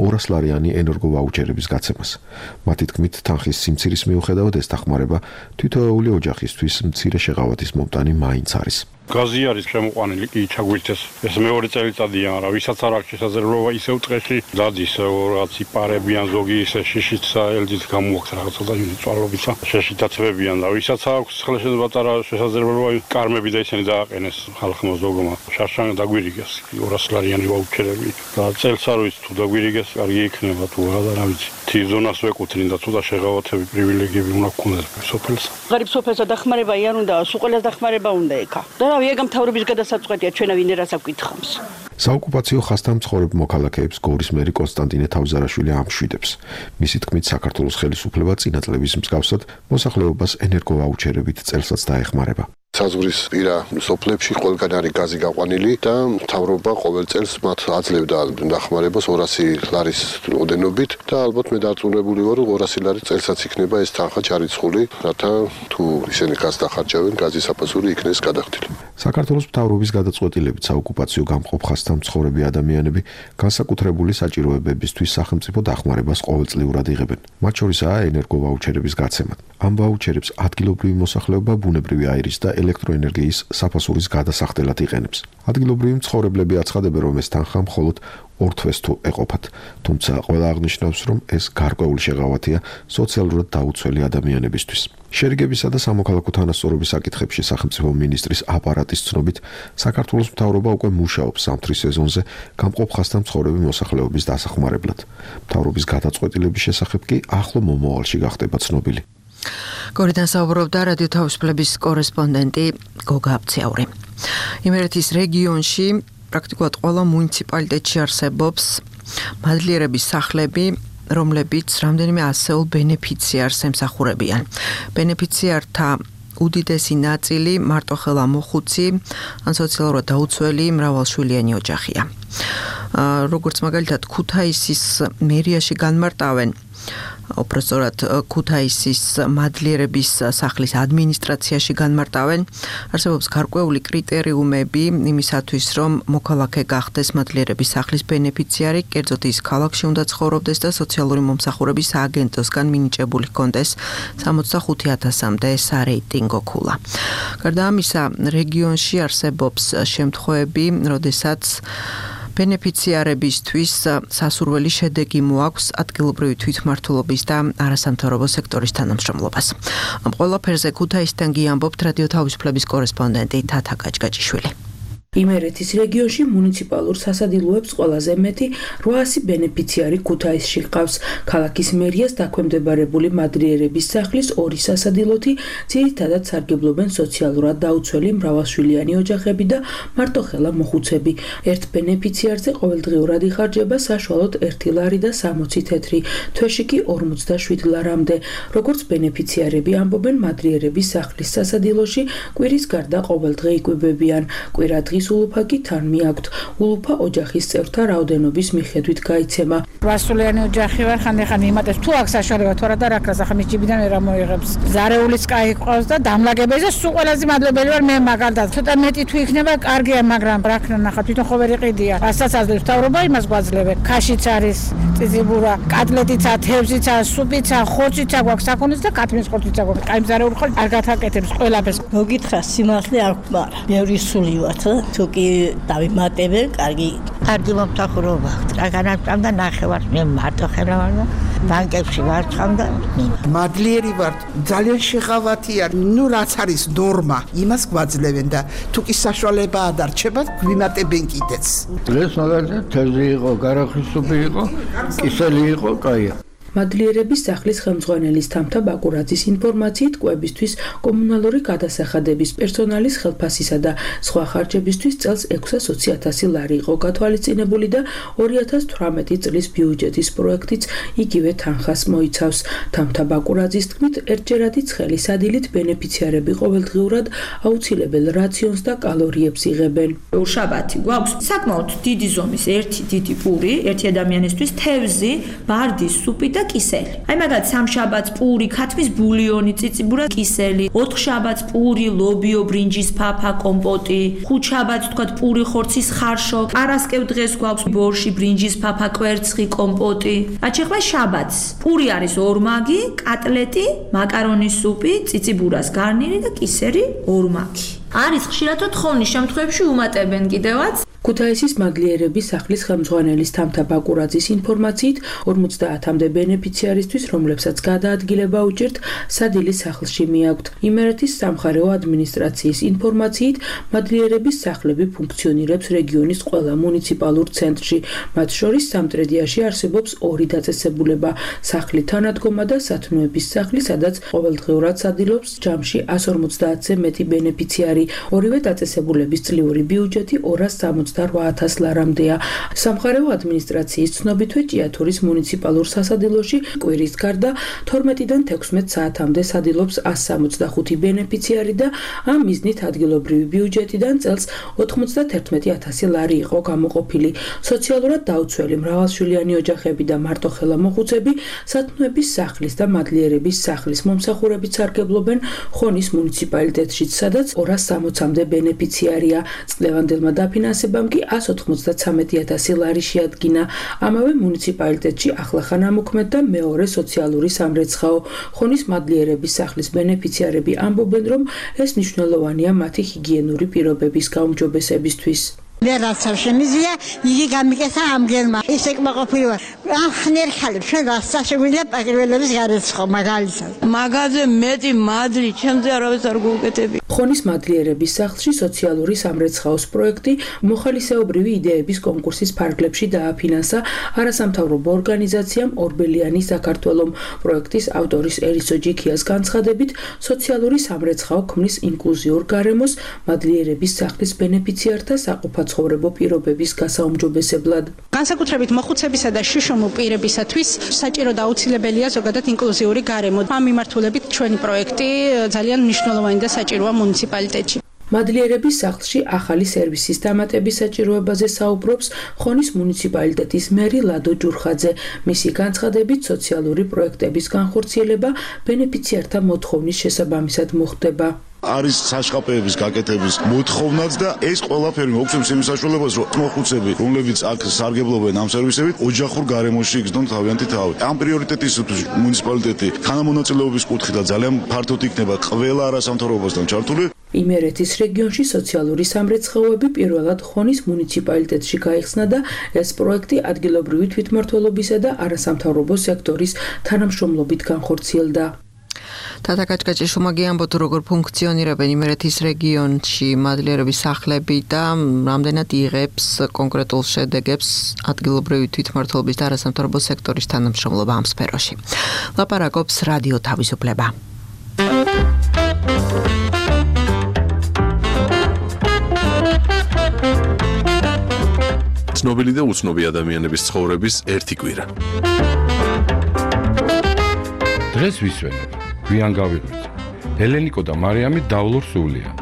Speaker 17: ორასლარიანი ენერგო ვაუჩერების გაცემას. მათი თქმით, თანხის სიმცირის მიუხედავად ეს დახმარება თითოეული ოჯახისთვის მცირე შეღავათის მომტანი მაინც არის.
Speaker 20: გაზი არის შემოყვანილი, კი ჩაგვირთეს. ეს მეორე წელიწადია, მაგრამ ვისაც არ აქვს შესაძლებლობა ისევ ტყეში დადის რაღაც იპარებიან, ზოგი ისე შიშიც ელჯით გამოაქვს რაღაცა და წვალობისა. შეშიტაცებებიან და ვისაც აქვს ხელშედება პატარა შესაძლებლობა კარმები და ისინი დააყენეს ხალხმა ზოგმა. შარშან დაგვირიგეს ორასლარიანი ვაუჩერები და წელს არ ვიცი თუ დაგვირიგეს, კარგი იქნება თუ რა და რა ვიცი. ერთი ზონას ვეკუთვნით და ცოტა შეღავათები პრივილეგიები უნდა გქონდეს სოფელს.
Speaker 21: ღარიბ სოფელსა დახმარება არ უნდა, სულ ყველას დახმარება უნდა ეკა. და რა ვიაგამ თავრობის გადასაწყვეტია ჩვენა ვინ რას აკითხავს.
Speaker 17: საოკუპაციო ხასთან მცხოვრებ მოქალაქეებს გორის მერი კონსტანტინე თავზარაშვილი ამშვიდებს. მისი თქმით, საქართველოს ხელისუფლება წინა წლების მსგავსად მოსახლეობას ენერგოვაუჩერებით წელსაც დაეხმარება.
Speaker 22: საზღვრის პირა სოფლებში ყველგან არის გაზი გაყვანილი და მთავრობა ყოველ წელს მათ აძლევდა დახმარებას ორასი ლარის ოდენობით და ალბათ მე დარწმუნებული ვარ, რომ ორასი ლარი წელსაც იქნება ეს თანხა ჩარიცხული, რათა თუ ისინი გაზს დახარჯავენ, გაზის საფასური იქნეს გადახდილი.
Speaker 17: საქართველოს მთავრობის გადაწყვეტილებით საოკუპაციო გამყოფ ხასთან მცხოვრები ადამიანები განსაკუთრებული საჭიროებებისთვის სახელმწიფო დახმარებას ყოველწლიურად იღებენ. მათ შორისაა ენერგოვაუჩერების გაცემა. ამ ვაუჩერებს ადგილობრივი მოსახლეობა ბუნებრივი აირის და ელექტროენერგიის საფასურის გადასახდელად იყენებს. ადგილობრივი მცხოვრებლები აცხადებენ, რომ ეს თანხა მხოლოდ ორ თვეს თუ ეყოფათ, თუმცა ყველა აღნიშნავს, რომ ეს გარკვეული შეღავათია სოციალურად დაუცველი ადამიანებისთვის. შერიგებისა და სამოქალაქო თანასწორობის საკითხებში სახელმწიფო მინისტრის აპარატის ცნობით, საქართველოს მთავრობა უკვე მუშაობს სამთრის სეზონზე გამყოფ ხასთან მცხოვრები მოსახლეობის დასახმარებლად. მთავრობის გადაწყვეტილების შესახებ კი ახლო მომავალში გახდება ცნობილი.
Speaker 1: გორიდან საუბრობდა რადიო თავისუფლების კორესპონდენტი გოგა აბცაური. იმერეთის რეგიონში პრაქტიკულად ყველა მუნიციპალიტეტში არსებობს მადლიერების სახლები, რომლებიც რამდენიმე ასეულ ბენეფიციარს ემსახურებიან. ბენეფიციართა უდიდესი ნაწილი მარტოხელა მოხუცი ან სოციალურად დაუცველი მრავალშვილიანი ოჯახია. როგორც მაგალითად ქუთაისის მერიაში განმარტავენ უпростоრად ქუთაისის მადლიერების სახლის ადმინისტრაციაში განმარტავენ, არსებობს გარკვეული კრიტერიუმები იმისათვის, რომ მოქალაქე გახდეს მადლიერების სახლის ბენეფიციარი, კერძოდ ის ქალაქში უნდა ცხოვრობდეს და სოციალური მომსახურების სააგენტოსგან მინიჭებული ჰქონდეს სამოცდახუთი ათასამდე სარეიტინგო ქულა. გარდა ამისა, რეგიონში არსებობს შემთხვევები, როდესაც ბენეფიციარებისთვის სასურველი შედეგი მოაქვს ადგილობრივი თვითმმართველობის და არასამთავრობო სექტორის თანამშრომლობას. ამ ყველაფერზე ქუთაისიდან გიამბობთ რადიო თავისუფლების კორესპონდენტი თათა გაჭგაჭიშვილი.
Speaker 23: იმერეთის რეგიონში მუნიციპალურ სასადილოებს ყველაზე მეტი რვაასი ბენეფიციარი ქუთაისში ჰყავს. ქალაქის მერიას დაქვემდებარებული მადლიერების სახლის ორი სასადილოთი ძირითადად სარგებლობენ სოციალურად დაუცველი მრავალშვილიანი ოჯახები და მარტოხელა მოხუცები. ერთ ბენეფიციარზე ყოველდღიურად იხარჯება საშუალოდ ერთი ლარი და სამოცი თეთრი, თვეში კი ორმოცდაშვიდი ლარამდე. როგორც ბენეფიციარები ამბობენ, მადლიერების სახლის სასადილოში კვირის გარდა ყოველდღე იკვებებიან. კვირადღის ულუფა კი თან მიაქვთ. ულუფა ოჯახის წევრთა რაოდენობის მიხედვით გაიცემა.
Speaker 24: რვასულიანი ოჯახი ვარ, ხანდახან იმატებს თუ აქ საშუალება თუ არა და რა ქრას ახლა მის ჯიბიდან ვერ ამოიღებს. ზარეულის კაი ყავს და დამლაგებელი და სულ ყველაზე მადლობელი ვარ მე მაგალითად. ცოტა მეტი თუ იქნება, კარგია, მაგრამ რა ქნა ნახა თვითონ ხო ვერ იყიდია. რასაც აძლევს მთავრობა, იმას გვაძლევენ. ქაშიც არის, წიწიბურა, კატლეტიცა, თევზიცა, სუპიცა, ხორციცა გვაქვს საქონელს და კათმის ხორციცა გვაქვს. კაი მზარეული ხარ არ გათაკეთებს ყველაფერს.
Speaker 25: მოგითხრა სიმართლე არ გვყარა. ბევრი სული ვარ. თუ კი დავიმატებენ, კარგი.
Speaker 26: კარგი მომსახურება. რაგანაცამ და ნახევარ მე მარტო ხელა ვარ და ბანკებში ვარცხავ და
Speaker 27: მადლიერი ვარ. ძალიან შეღავათია. ნუ რაც არის ნორმა, იმას გვაძლევენ და თუ კი საშუალება ადარჩება, გვიმატებენ კიდეც.
Speaker 28: დღეს მაგალითად თევზი იყო, გარახის სუპი იყო, კისელი იყო, კაია.
Speaker 23: მადლიერების სახლის ხელმძღვანელის თამთა ბაკურაძის ინფორმაციით, კვებისთვის, კომუნალური გადასახადების, პერსონალის ხელფასისა და სხვა ხარჯებისთვის წელს ექვსასოცი ათასი ლარი იყო გათვალისწინებული და ორი ათას თვრამეტი წლის ბიუჯეტის პროექტიც იგივე თანხას მოიცავს. თამთა ბაკურაძის თქმით, ერთჯერადი ცხელი სადილით ბენეფიციარები ყოველდღიურად აუცილებელ რაციონს და კალორიებს იღებენ.
Speaker 29: შაბათი გვაქვს საკმაოდ დიდი ზომის ერთი დიდი პური, ერთი ადამიანისთვის თევზი, ბარდი, სუპი და კისელი. აი მაგალითად სამშაბათს პური, ქათმის ბულიონი, წიწიბურა, კისელი, ოთხშაბათს პური, ლობიო, ბრინჯის ფაფა, კომპოტი, ხუთშაბათს თქვა პური, ხორცის ხარშო, პარასკევ დღეს გვაქვს ბორში, ბრინჯის ფაფა, კვერცხი, კომპოტი. აჩეხლა შაბათს პური არის ორმაგი, კატლეტი, მაკარონის სუპი, წიწიბურას გარნირი და კისერი ორმაგი. არის ხშირად თხოვნის შემთხვევებში უმატებენ კიდევაც.
Speaker 23: ქუთაისის მადლიერების სახლის ხელმძღვანელის თამთა ბაკურაძის ინფორმაციით ორმოცდაათამდე ბენეფიციარისთვის, რომლებსაც გადაადგილება უჭირთ, სადილის სახლში მიაქვთ. იმერეთის სამხარეო ადმინისტრაციის ინფორმაციით მადლიერების სახლები ფუნქციონირებს რეგიონის ყველა მუნიციპალურ ცენტრში. მათ შორის სამტრედიაში არსებობს ორი დაწესებულება, სახლი თანადგომა და სათნოების სახლი, სადაც ყოველდღიურად სადილობს ჯამში εκατს ორმოცდაათზე მეტი ბენეფიციარი. ორივე დაწესებულების წლიური ბიუჯეტი ორას სამოცდარვა ათას ლარამდეა. სამხარეო ადმინისტრაციის ცნობითვე ჭიათურის მუნიციპალურ სასადილოში კვირის გარდა თორმეტიდან თექვსმეტ საათამდე სადილობს εκατს სამოცდახუთი ბენეფიციარი და ამ მიზნით ადგილობრივი ბიუჯეტიდან წელს ოთხმოცდათერთმეტი ათასი ლარი იყო გამოყოფილი. სოციალურად დაუცველი მრავალშვილიანი ოჯახები და მარტოხელა მოხუცები სათნოების სახლის და მადლიერების სახლის მომსახურებით სარგებლობენ ხონის მუნიციპალიტეტშიც, სადაც ორას სამოცამდე ბენეფიციარია. წლევანდელმა დაფინანსებამ კი εκατს ოთხმოცდათრამეტი ათასი ლარი შეადგინა. ამავე მუნიციპალიტეტში ახლახან ამოქმედდა მეორე სოციალური სამრეცხაო. ხონის მადლიერების სახლის ბენეფიციარები ამბობენ, რომ ეს მნიშვნელოვანია მათი ჰიგიენური პირობების გაუმჯობესებისთვის.
Speaker 26: მე რაც შემიძლია, იგი გამიკეთა ამგერმა. ის ეკმაყოფილი ვარ. ახნერ ხალხი ჩვენ რასაც შეგვიძლია პატრიოტების გარეცხო მაგალითად.
Speaker 21: მაგაზე მეტი მადლი ჩემზე არავის არ გუკეთები.
Speaker 23: ხონის მადლიერების სახლში სოციალური სამრეცხაოს პროექტი მოხალისეობრივი იდეების კონკურსის ფარგლებში დააფინანსა არასამთავრობო ორგანიზაციამ ორბელიანი საქართველომ. პროექტის ავტორის ერისო ჯიქიას განცხადებით, სოციალური სამრეცხაო ქმნის ინკლუზიურ გარემოს მადლიერების სახლის ბენეფიციართა საყოფაცხოვრებო ცხოვრებო პირობების გასაუმჯობესებლად.
Speaker 3: განსაკუთრებით მოხუცებისა და შიშომურ პირებისათვის საჭირო და აუცილებელია ზოგადად ინკლუზიური გარემო. ამ მიმართულებით ჩვენი პროექტი ძალიან მნიშვნელოვანი და საჭიროა მუნიციპალიტეტში.
Speaker 23: მადლიერების სახლში ახალი სერვისის დამატების საჭიროებაზე საუბრობს ხონის მუნიციპალიტეტის მერი ლადო ჯურხაძე. მისი განცხადებით, სოციალური პროექტების განხორციელება ბენეფიციართა მოთხოვნის შესაბამისად მოხდება.
Speaker 4: არის საშყაპეების გაკეთების მოთხოვნაც და ეს ყველაფერი მოგცემს იმ საშუალებას, რომ მოხუცები, რომლებიც აქ სარგებლობენ ამ სერვისებით, ოჯახურ გარემოში იგრძნონ თავიანთი თავი. ამ პრიორიტეტისთვის მუნიციპალიტეტი თანამონაწილეობის კუთხიდან ძალიან ფართოდ იქნება ყველა არასამთავრობოსთან ჩართული.
Speaker 23: იმერეთის რეგიონში სოციალური სამრეცხაოები პირველად ხონის მუნიციპალიტეტში გაიხსნა და ეს პროექტი ადგილობრივი თვითმმართველობისა და არასამთავრობო სექტორის თანამშრომლობით განხორციელდა.
Speaker 2: თათა კაჭკაჭი შუმაგიანბოთ როგორ ფუნქციონირებენ იმერეთის რეგიონში მადლიერების სახლები და რამდენად იღებს კონკრეტულ შედეგებს ადგილობრივი თვითმმართველობის და არასამთავრობო სექტორის თანამშრომლობა ამ სფეროში. ლაპარაკობს რადიო თავისუფლება.
Speaker 5: ცნობილი და უცნობი ადამიანების ცხოვრების ერთი კვირა.
Speaker 7: დღეს ვისვენებ, გვიან გავიღვიძე. ელენიკო და მარიამი დავლურ სულიან.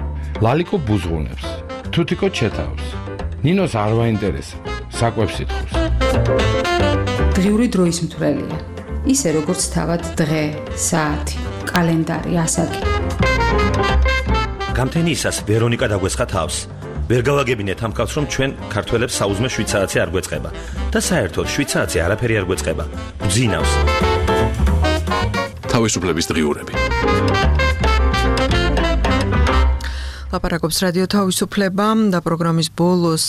Speaker 7: ლალიკო ბუზღუნებს, თუთიკო ჩეთავს. ნინოს არ ვაინტერესებს, საკვებს ითხოვს.
Speaker 8: დღიური დროის მთვრელია. ისე როგორც თავად დღე, საათი, კალენდარი, ასაკი.
Speaker 9: გამთენიისას ვერონიკა დაგვესხა თავს. ვერ გავაგებინეთ ამ კაცს, რომ ჩვენ ქართველებს საუზმე შვიდ საათი არ გვეწყება და საერთოდ შვიდ საათი არაფერი არ გვეწყება. გძინავს.
Speaker 5: თავისუფლების დღიურები.
Speaker 2: ლაპარაკობს რადიო თავისუფლება და პროგრამის ბოლოს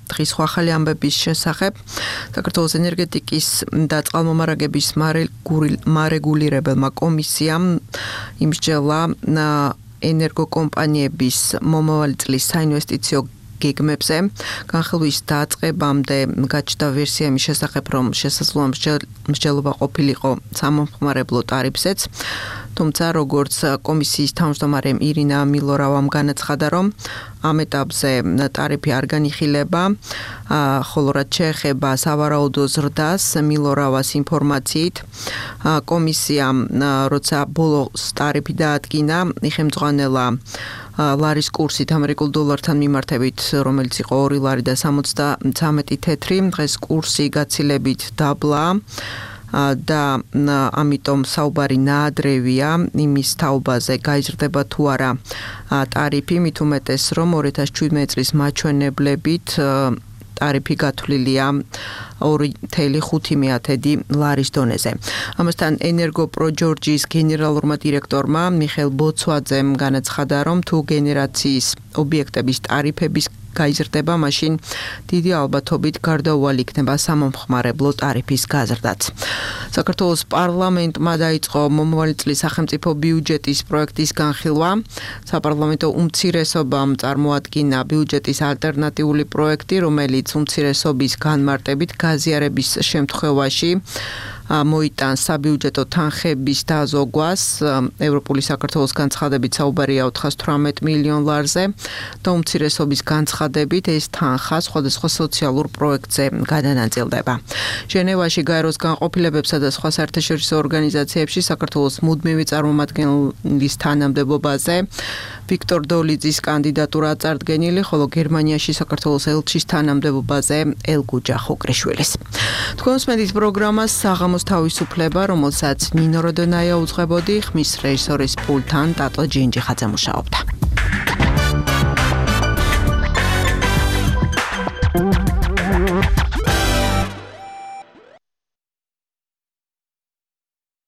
Speaker 2: დღის ახალი ამბების შესახებ. საქართველოს ენერგეტიკის და წყალმომარაგების მარეგულირებელმა კომისიამ იმსჯელა ენერგოკომპანიების მომავალი წლის საინვესტიციო გეგმებზე განხილვის დაწყებამდე გაჩნდა ვერსია იმის შესახებ, რომ შესაძლოა მსჯელობა ყოფილიყო სამომხმარებლო ტარიფზეც. თუმცა როგორც კომისიის თავმჯდომარე ირინა მილორავამ განაცხადა, რომ ამ ეტაპზე ტარიფი არ განიხილება, ხოლო რაც შეეხება სავარაუდო ზრდას, მილორავას ინფორმაციით, კომისიამ როცა ბოლოს ტარიფი დაადგინა, იხემძღვანელა ლარის კურსით ამერიკულ დოლართან მიმართებით, რომელიც იყო ორი ლარი და სამოცდათრამეტი თეთრი, დღეს კურსი გაცილებით დაბლა და ამიტომ საუბარი ნაადრევია იმის თაობაზე გაიზრდება თუ არა ტარიფი, მით უმეტეს რომ ორი ათას შვიდმეტი წლის მაჩვენებლებით ტარიფი გათვლილია ორი წელი ხუთი მეათედი ლარის დონეზე. ამასთან ენერგოპროჯორჯის გენერალურმა დირექტორმა მიხეილ ბოცვაძემ განაცხადა, რომ თუ გენერაციის ობიექტების ტარიფების
Speaker 1: გაიზრდება, მაშინ დიდი ალბათობით გარდაუვალი იქნება სამომხმარებლო ტარიფის გაზრდაც. საქართველოს პარლამენტმა დაიწყო მომავალი წლის სახელმწიფო ბიუჯეტის პროექტის განხილვა. საპარლამენტო უმცირესობამ წარმოადგინა ბიუჯეტის ალტერნატიული პროექტი, რომელიც უმცირესობის განმარტებით გაზიარების შემთხვევაში მოიტანს საბიუჯეტო თანხების დაზოგვას. ევროპული საქართველოს განცხადებით საუბარია ოთხას თვრამეტ მილიონ ლარზე და უმცირესობის განცხადებით ეს თანხა სხვადასხვა სოციალურ პროექტზე გადანაწილდება. ჟენევაში გაეროს განყოფილებებსა და სხვა საერთაშორისო ორგანიზაციებში საქართველოს მუდმივი წარმომადგენლის თანამდებობაზე ვიქტორ დოლიძის კანდიდატურა წარდგენილი, ხოლო გერმანიაში საქართველოს ელჩის თანამდებობაზე ელგუჯა ხუκრიშვილის. თქვენ უსმენთ პროგრამას საღამოს თავისუფლება, რომელსაც ნინო როდონაია უძღვებოდი, ხმის რეჟისორის პულტთან ტატო ჯინჯიხაძე მუშაობდა.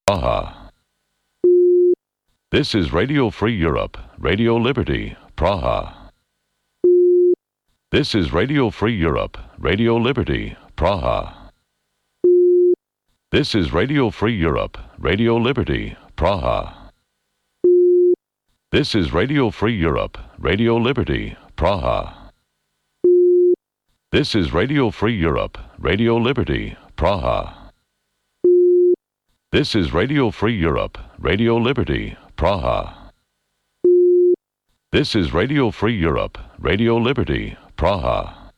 Speaker 6: Praha. This is Radio Free Europe, Radio Liberty, Praha. This is Radio Free Europe, Radio Liberty, Praha. This is Radio Free Europe, Radio Liberty, Praha. This is Radio Free Europe, Radio Liberty, Praha. This is Radio Free Europe, Radio Liberty, Praha. This is Radio Free Europe, Radio Liberty, Praha. This is Radio Free Europe, Radio Liberty, Praha.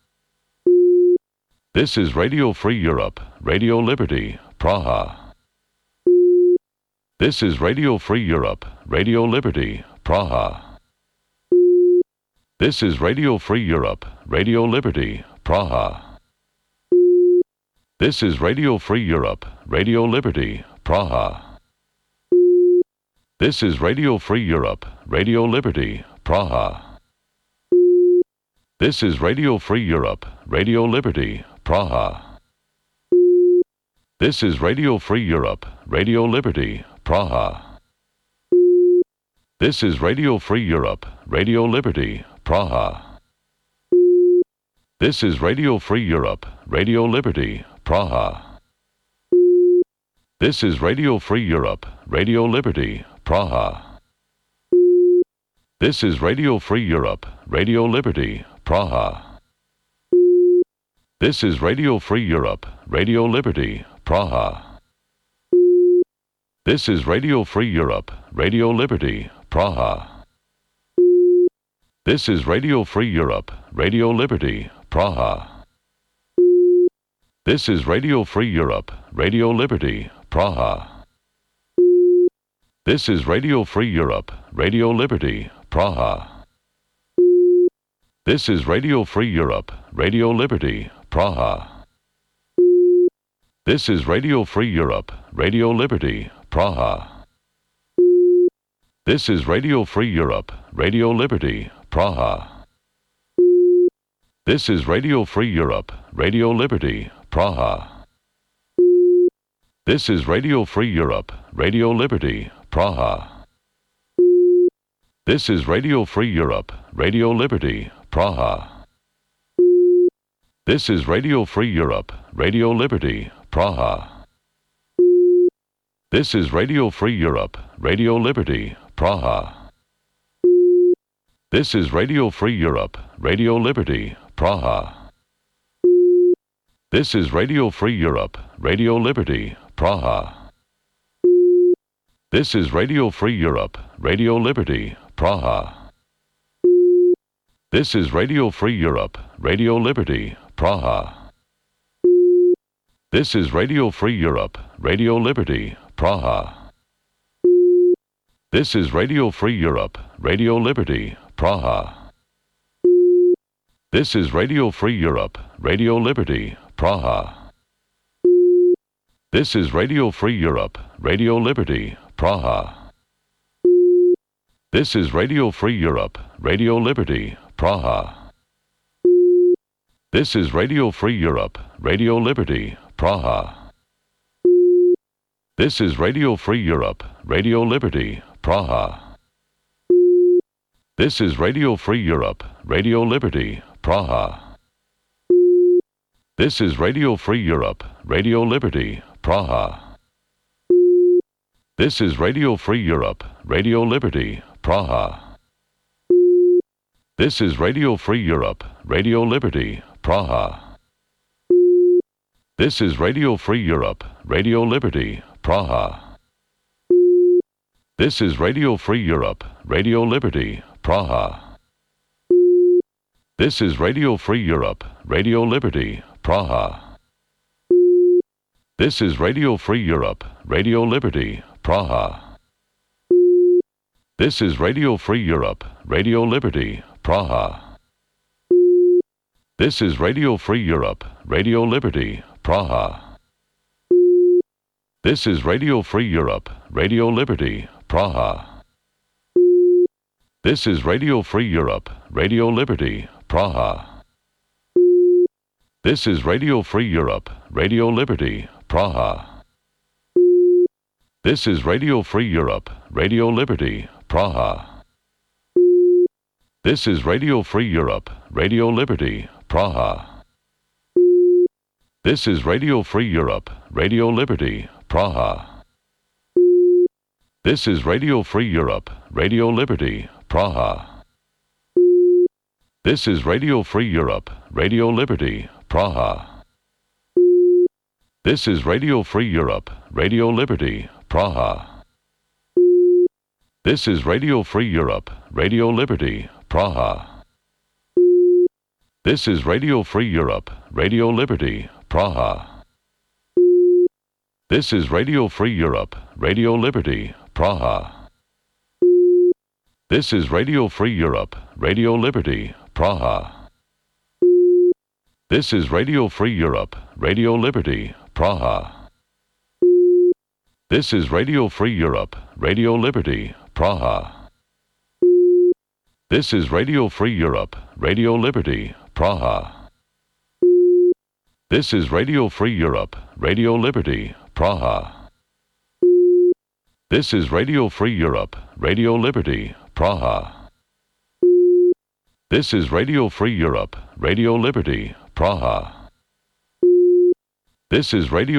Speaker 6: This is Radio Free Europe, Radio Liberty, Praha. This is Radio Free Europe, Radio Liberty, Praha. This is Radio Free Europe, Radio Liberty, Praha. This is Radio Free Europe, Radio Liberty, Praha. This is Radio Free Europe, Radio Liberty, Praha. This is Radio Free Europe, Radio Liberty, Praha. This is Radio Free Europe, Radio Liberty, Praha. This is Radio Free Europe, Radio Liberty, Praha. This is Radio Free Europe, Radio Liberty, Praha. This is Radio Free Europe, Radio Liberty, Praha. This is Radio Free Europe, Radio Liberty, Praha. This is Radio Free Europe, Radio Liberty, Praha. This is Radio Free Europe, Radio Liberty, Praha. This is Radio Free Europe, Radio Liberty, Praha. This is Radio Free Europe, Radio Liberty, Praha. This is Radio Free Europe, Radio Liberty, Praha. This is Radio Free Europe, Radio Liberty, Praha. This is Radio Free Europe, Radio Liberty, Praha. This is Radio Free Europe, Radio Liberty, Praha. This is Radio Free Europe, Radio Liberty, Praha. This is Radio Free Europe, Radio Liberty, Praha. This is Radio Free Europe, Radio Liberty, Praha. This is Radio Free Europe, Radio Liberty, Praha. This is Radio Free Europe, Radio Liberty, Praha. This is Radio Free Europe, Radio Liberty, Praha. This is Radio Free Europe, Radio Liberty, Praha. This is Radio Free Europe, Radio Liberty, Praha. This is Radio Free Europe, Radio Liberty, Praha. This is Radio Free Europe, Radio Liberty, Praha. This is Radio Free Europe, Radio Liberty, Praha. This is Radio Free Europe, Radio Liberty, Praha. This is Radio Free Europe, Radio Liberty, Praha. This is Radio Free Europe, Radio Liberty, Praha. This is Radio Free Europe, Radio Liberty, Praha. This is Radio Free Europe, Radio Liberty, Praha. This is Radio Free Europe, Radio Liberty, Praha. This is Radio Free Europe, Radio Liberty, Praha. This is Radio Free Europe, Radio Liberty, Praha. This is Radio Free Europe, Radio Liberty, Praha. This is Radio Free Europe, Radio Liberty, Praha. This is Radio Free Europe, Radio Liberty, Praha. This is Radio Free Europe, Radio Liberty, Praha. This is Radio Free Europe, Radio Liberty, Praha. This is Radio Free Europe, Radio Liberty, Praha. This is Radio Free Europe, Radio Liberty, Praha. This is Radio Free Europe, Radio Liberty, Praha. This is Radio Free Europe, Radio Liberty, Praha. This is Radio Free Europe, Radio Liberty, Praha. This is Radio Free Europe, Radio Liberty, Praha. This is Radio Free Europe, Radio Liberty, Praha. This is Radio Free Europe, Radio Liberty, Praha. This is Radio Free Europe, Radio Liberty, Praha. This is Radio Free Europe, Radio Liberty, Praha. This is Radio Free Europe, Radio Liberty, Praha. This is Radio Free Europe, Radio Liberty, Praha. This is Radio Free Europe, Radio Liberty, Praha. This is Radio Free Europe, Radio Liberty, Praha. This is Radio Free Europe, Radio Liberty, Praha. This is Radio Free Europe, Radio Liberty, Praha. This is Radio Free Europe, Radio Liberty, Praha. This is Radio Free Europe, Radio Liberty, Praha. This is Radio Free Europe, Radio Liberty, Praha. This is Radio Free Europe, Radio Liberty, Praha. This is Radio Free Europe, Radio Liberty, Praha. This is Radio Free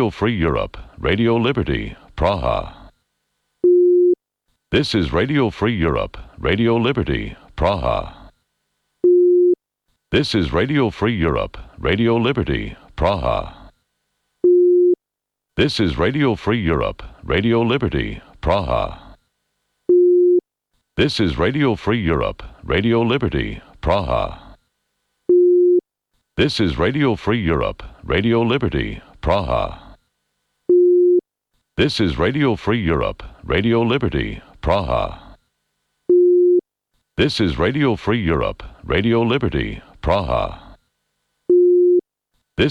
Speaker 6: Europe, Radio Liberty, Praha. This is Radio Free Europe, Radio Liberty, Praha. This is Radio Free Europe, Radio Liberty, Praha. This is Radio Free Europe, Radio Liberty, Praha. This is Radio Free Europe, Radio Liberty, Praha. This is Radio Free Europe, Radio Liberty, Praha. This is Radio Free Europe, Radio Liberty, Praha. This is Radio Free Europe, Radio Liberty, Praha. This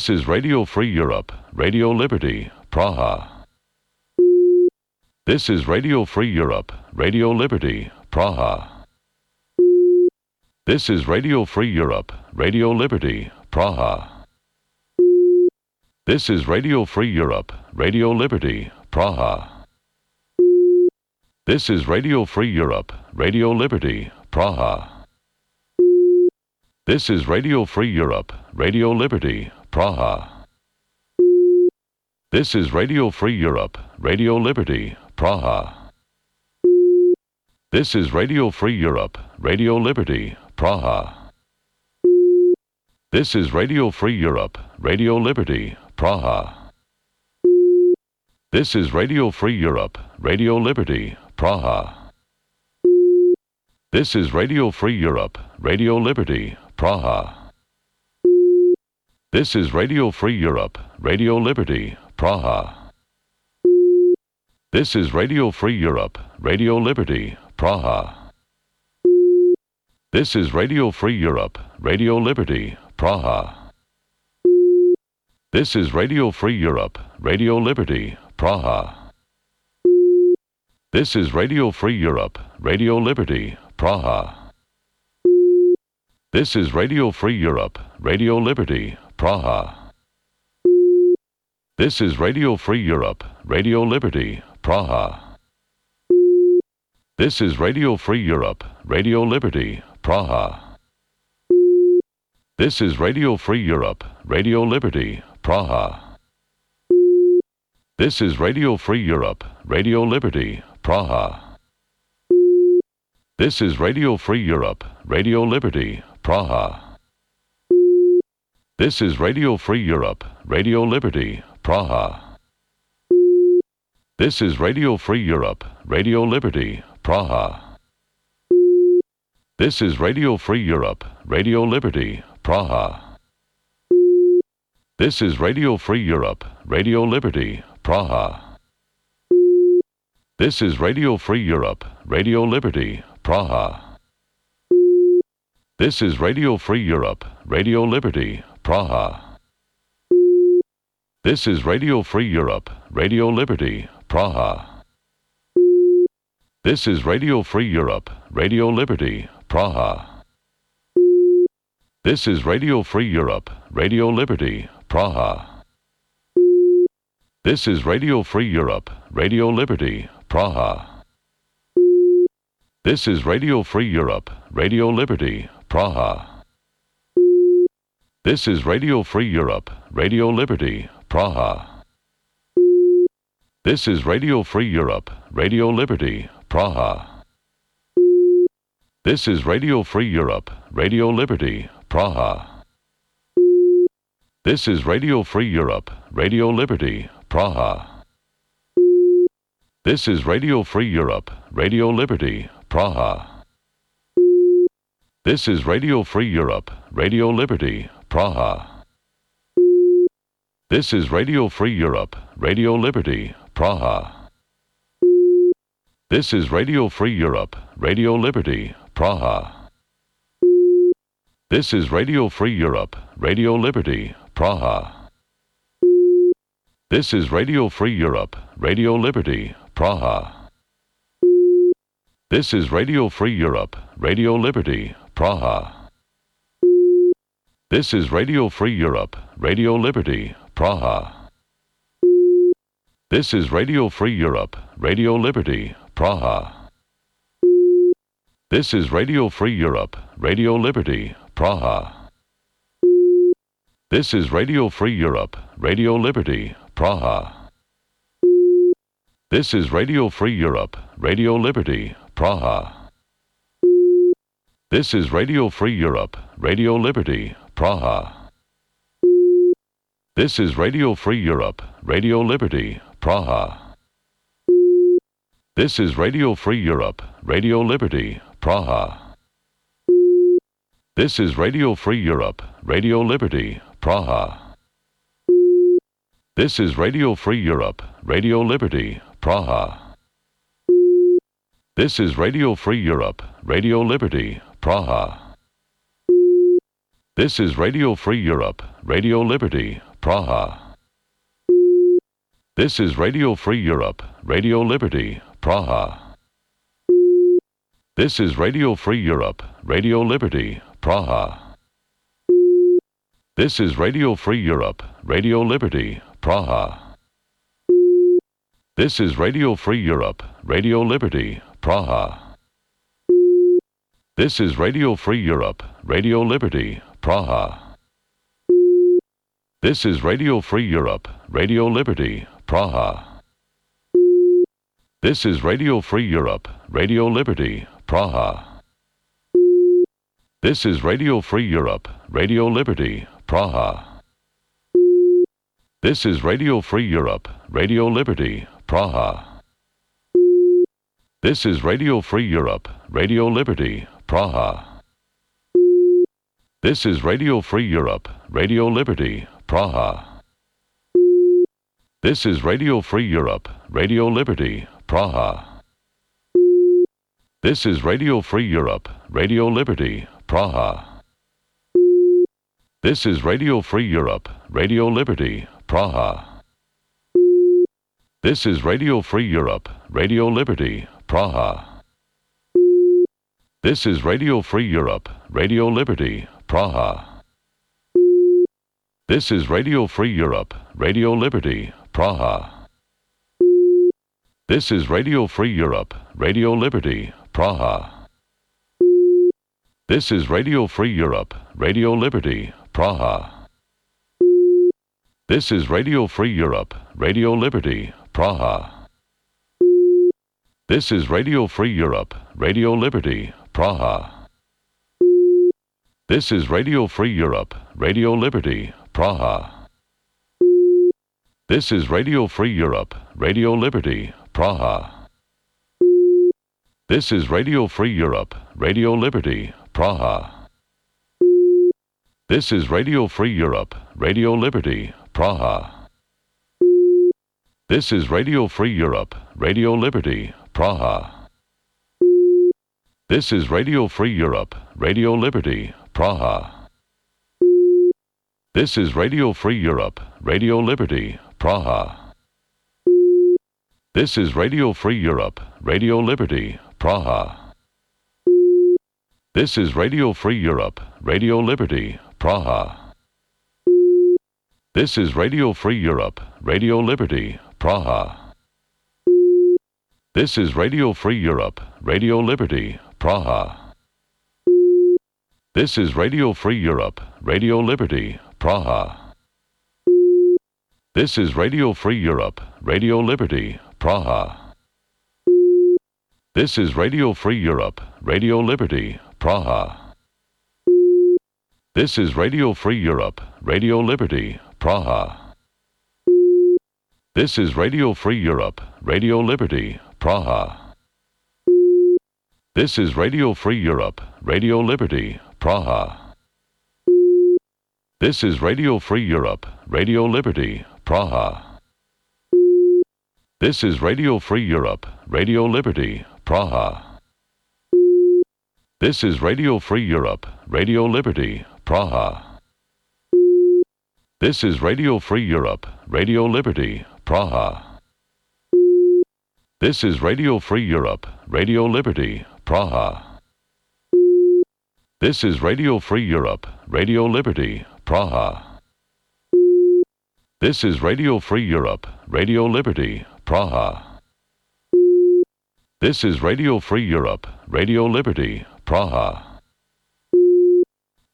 Speaker 6: is Radio Free Europe, Radio Liberty, Praha. This is Radio Free Europe, Radio Liberty, Praha. This is Radio Free Europe, Radio Liberty, Praha. This is Radio Free Europe, Radio Liberty, Praha. This is Radio Free Europe, Radio Liberty, Praha. This is Radio Free Europe, Radio Liberty, Praha. This is Radio Free Europe, Radio Liberty, Praha. This is Radio Free Europe, Radio Liberty, Praha. This is Radio Free Europe, Radio Liberty, Praha. This is Radio Free Europe, Radio Liberty, Praha. This is Radio Free Europe, Radio Liberty, Praha. This is Radio Free Europe, Radio Liberty, Praha. This is Radio Free Europe, Radio Liberty, Praha. This is Radio Free Europe, Radio Liberty, Praha. This is Radio Free Europe, Radio Liberty, Praha. This is Radio Free Europe, Radio Liberty, Praha. This is Radio Free Europe, Radio Liberty, Praha. This is Radio Free Europe, Radio Liberty, Praha. This is Radio Free Europe, Radio Liberty, Praha. This is Radio Free Europe, Radio Liberty, Praha. This is Radio Free Europe, Radio Liberty, Praha. This is Radio Free Europe, Radio Liberty, Praha. This is Radio Free Europe, Radio Liberty, Praha. This is Radio Free Europe, Radio Liberty, Praha. This is Radio Free Europe, Radio Liberty, Praha. This is Radio Free Europe, Radio Liberty, Praha. This is Radio Free Europe, Radio Liberty, Praha. This is Radio Free Europe, Radio Liberty, Praha. This is Radio Free Europe, Radio Liberty, Praha. This is Radio Free Europe, Radio Liberty, Praha. This is Radio Free Europe, Radio Liberty, Praha. This is Radio Free Europe, Radio Liberty, Praha. This is Radio Free Europe, Radio Liberty, Praha. This is Radio Free Europe, Radio Liberty, Praha. This is Radio Free Europe, Radio Liberty, Praha. This is Radio Free Europe, Radio Liberty, Praha. This is Radio Free Europe, Radio Liberty, Praha. This is Radio Free Europe, Radio Liberty, Praha. This is Radio Free Europe, Radio Liberty, Praha. This is Radio Free Europe, Radio Liberty, Praha. This is Radio Free Europe, Radio Liberty, Praha. This is Radio Free Europe, Radio Liberty, Praha. This is Radio Free Europe, Radio Liberty, Praha. This is Radio Free Europe, Radio Liberty, Praha. This is Radio Free Europe, Radio Liberty, Praha. This is Radio Free Europe, Radio Liberty, Praha. This is Radio Free Europe, Radio Liberty, Praha. This is Radio Free Europe, Radio Liberty, Praha. This is Radio Free Europe, Radio Liberty, Praha. This is Radio Free Europe, Radio Liberty, Praha. This is Radio Free Europe, Radio Liberty, Praha. This is Radio Free Europe, Radio Liberty, Praha. This is Radio Free Europe, Radio Liberty, Praha. This is Radio Free Europe, Radio Liberty, Praha. This is Radio Free Europe, Radio Liberty, Praha. This is Radio Free Europe, Radio Liberty, Praha. This is Radio Free Europe, Radio Liberty, Praha. This is Radio Free Europe, Radio Liberty, Praha. This is Radio Free Europe, Radio Liberty, Praha. This is Radio Free Europe, Radio Liberty, Praha. This is Radio Free Europe, Radio Liberty, Praha. This is Radio Free Europe, Radio Liberty, Praha. This is Radio Free Europe, Radio Liberty, Praha. This is Radio Free Europe, Radio Liberty, Praha. This is Radio Free Europe, Radio Liberty, Praha. This is Radio Free Europe, Radio Liberty, Praha. This is Radio Free Europe, Radio Liberty, Praha. This is Radio Free Europe, Radio Liberty, Praha. This is Radio Free Europe, Radio Liberty, Praha. This is Radio Free Europe, Radio Liberty, Praha. This is Radio Free Europe, Radio Liberty, Praha. This is Radio Free Europe, Radio Liberty, Praha. This is Radio Free Europe, Radio Liberty, Praha. This is Radio Free Europe, Radio Liberty, Praha. This is Radio Free Europe, Radio Liberty, Praha. This is Radio Free Europe, Radio Liberty, Praha. This is Radio Free Europe, Radio Liberty, Praha. This is Radio Free Europe, Radio Liberty, Praha. This is Radio Free Europe, Radio Liberty, Praha. This is Radio Free Europe, Radio Liberty, Praha. This is Radio Free Europe, Radio Liberty, Praha. This is Radio Free Europe, Radio Liberty, Praha. This is Radio Free Europe, Radio Liberty, Praha. This is Radio Free Europe, Radio Liberty, Praha. This is Radio Free Europe, Radio Liberty, Praha. This is Radio Free Europe, Radio Liberty, Praha. This is Radio Free Europe, Radio Liberty, Praha. This is Radio Free Europe, Radio Liberty, Praha. This is Radio Free Europe, Radio Liberty, Praha. This is Radio Free Europe, Radio Liberty, Praha. This is Radio Free Europe, Radio Liberty, Praha. This is Radio Free Europe, Radio Liberty, Praha. This is Radio Free Europe, Radio Liberty, Praha. This is Radio Free Europe, Radio Liberty, Praha. This is Radio Free Europe, Radio Liberty, Praha. This is Radio Free Europe, Radio Liberty, Praha. This is Radio Free Europe, Radio Liberty, Praha. This is Radio Free Europe, Radio Liberty, Praha. This is Radio Free Europe, Radio Liberty, Praha. This is Radio Free Europe, Radio Liberty, Praha. This is Radio Free Europe, Radio Liberty, Praha. This is Radio Free Europe, Radio Liberty, Praha.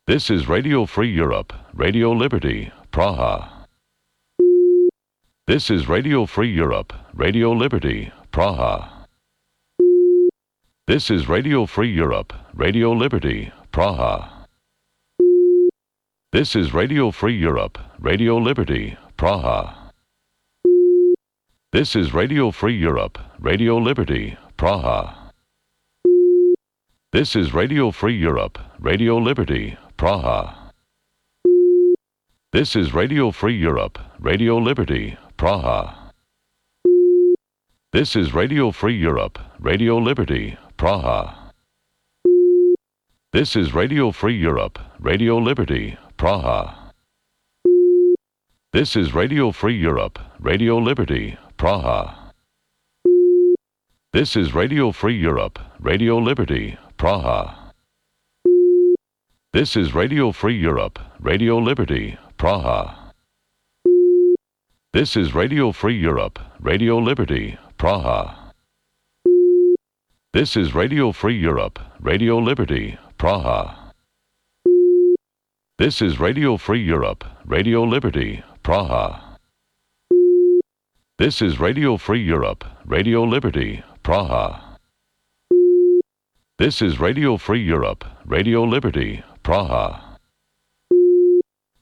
Speaker 6: This is Radio Free Europe, Radio Liberty, Praha. This is Radio Free Europe, Radio Liberty, Praha. This is Radio Free Europe, Radio Liberty, Praha. This is Radio Free Europe, Radio Liberty, Praha. This is Radio Free Europe, Radio Liberty, Praha. This is Radio Free Europe, Radio Liberty, Praha. This is Radio Free Europe, Radio Liberty, Praha. This is Radio Free Europe, Radio Liberty, Praha. This is Radio Free Europe, Radio Liberty, Praha. This is Radio Free Europe, Radio Liberty, Praha. This is Radio Free Europe, Radio Liberty, Praha. This is Radio Free Europe, Radio Liberty, Praha. This is Radio Free Europe, Radio Liberty, Praha. This is Radio Free Europe, Radio Liberty, Praha. This is Radio Free Europe, Radio Liberty, Praha. This is Radio Free Europe, Radio Liberty, Praha. This is Radio Free Europe, Radio Liberty, Praha.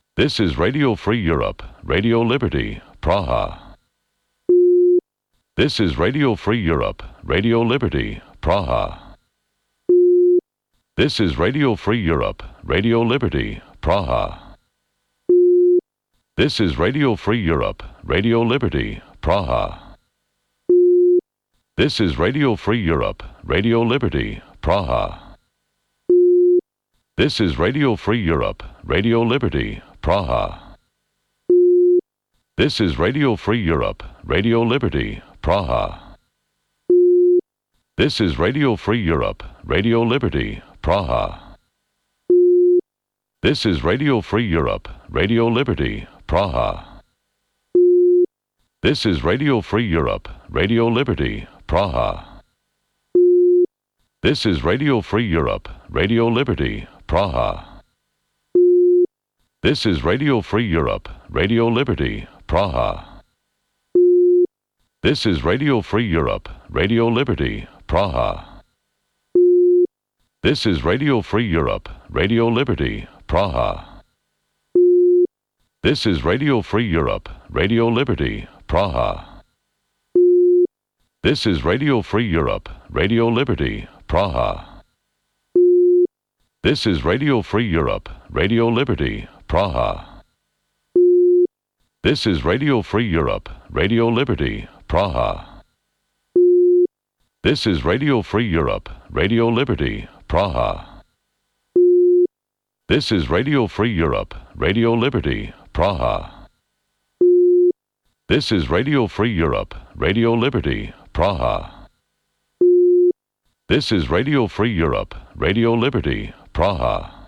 Speaker 6: This is Radio Free Europe, Radio Liberty, Praha. This is Radio Free Europe, Radio Liberty, Praha. This is Radio Free Europe, Radio Liberty, Praha. This is Radio Free Europe, Radio Liberty, Praha. This is Radio Free Europe, Radio Liberty, Praha. This is Radio Free Europe, Radio Liberty, Praha. This is Radio Free Europe, Radio Liberty, Praha. This is Radio Free Europe, Radio Liberty, Praha. This is Radio Free Europe, Radio Liberty, Praha. This is Radio Free Europe, Radio Liberty, Praha. This is Radio Free Europe, Radio Liberty, Praha. This is Radio Free Europe, Radio Liberty, Praha. This is Radio Free Europe, Radio Liberty, Praha. This is Radio Free Europe, Radio Liberty, Praha. This is Radio Free Europe, Radio Liberty, Praha. This is Radio Free Europe, Radio Liberty, Praha. This is Radio Free Europe, Radio Liberty, Praha. This is Radio Free Europe, Radio Liberty, Praha. This is Radio Free Europe, Radio Liberty, Praha. This is Radio Free Europe, Radio Liberty, Praha. This is Radio Free Europe, Radio Liberty, Praha. This is Radio Free Europe, Radio Liberty, Praha.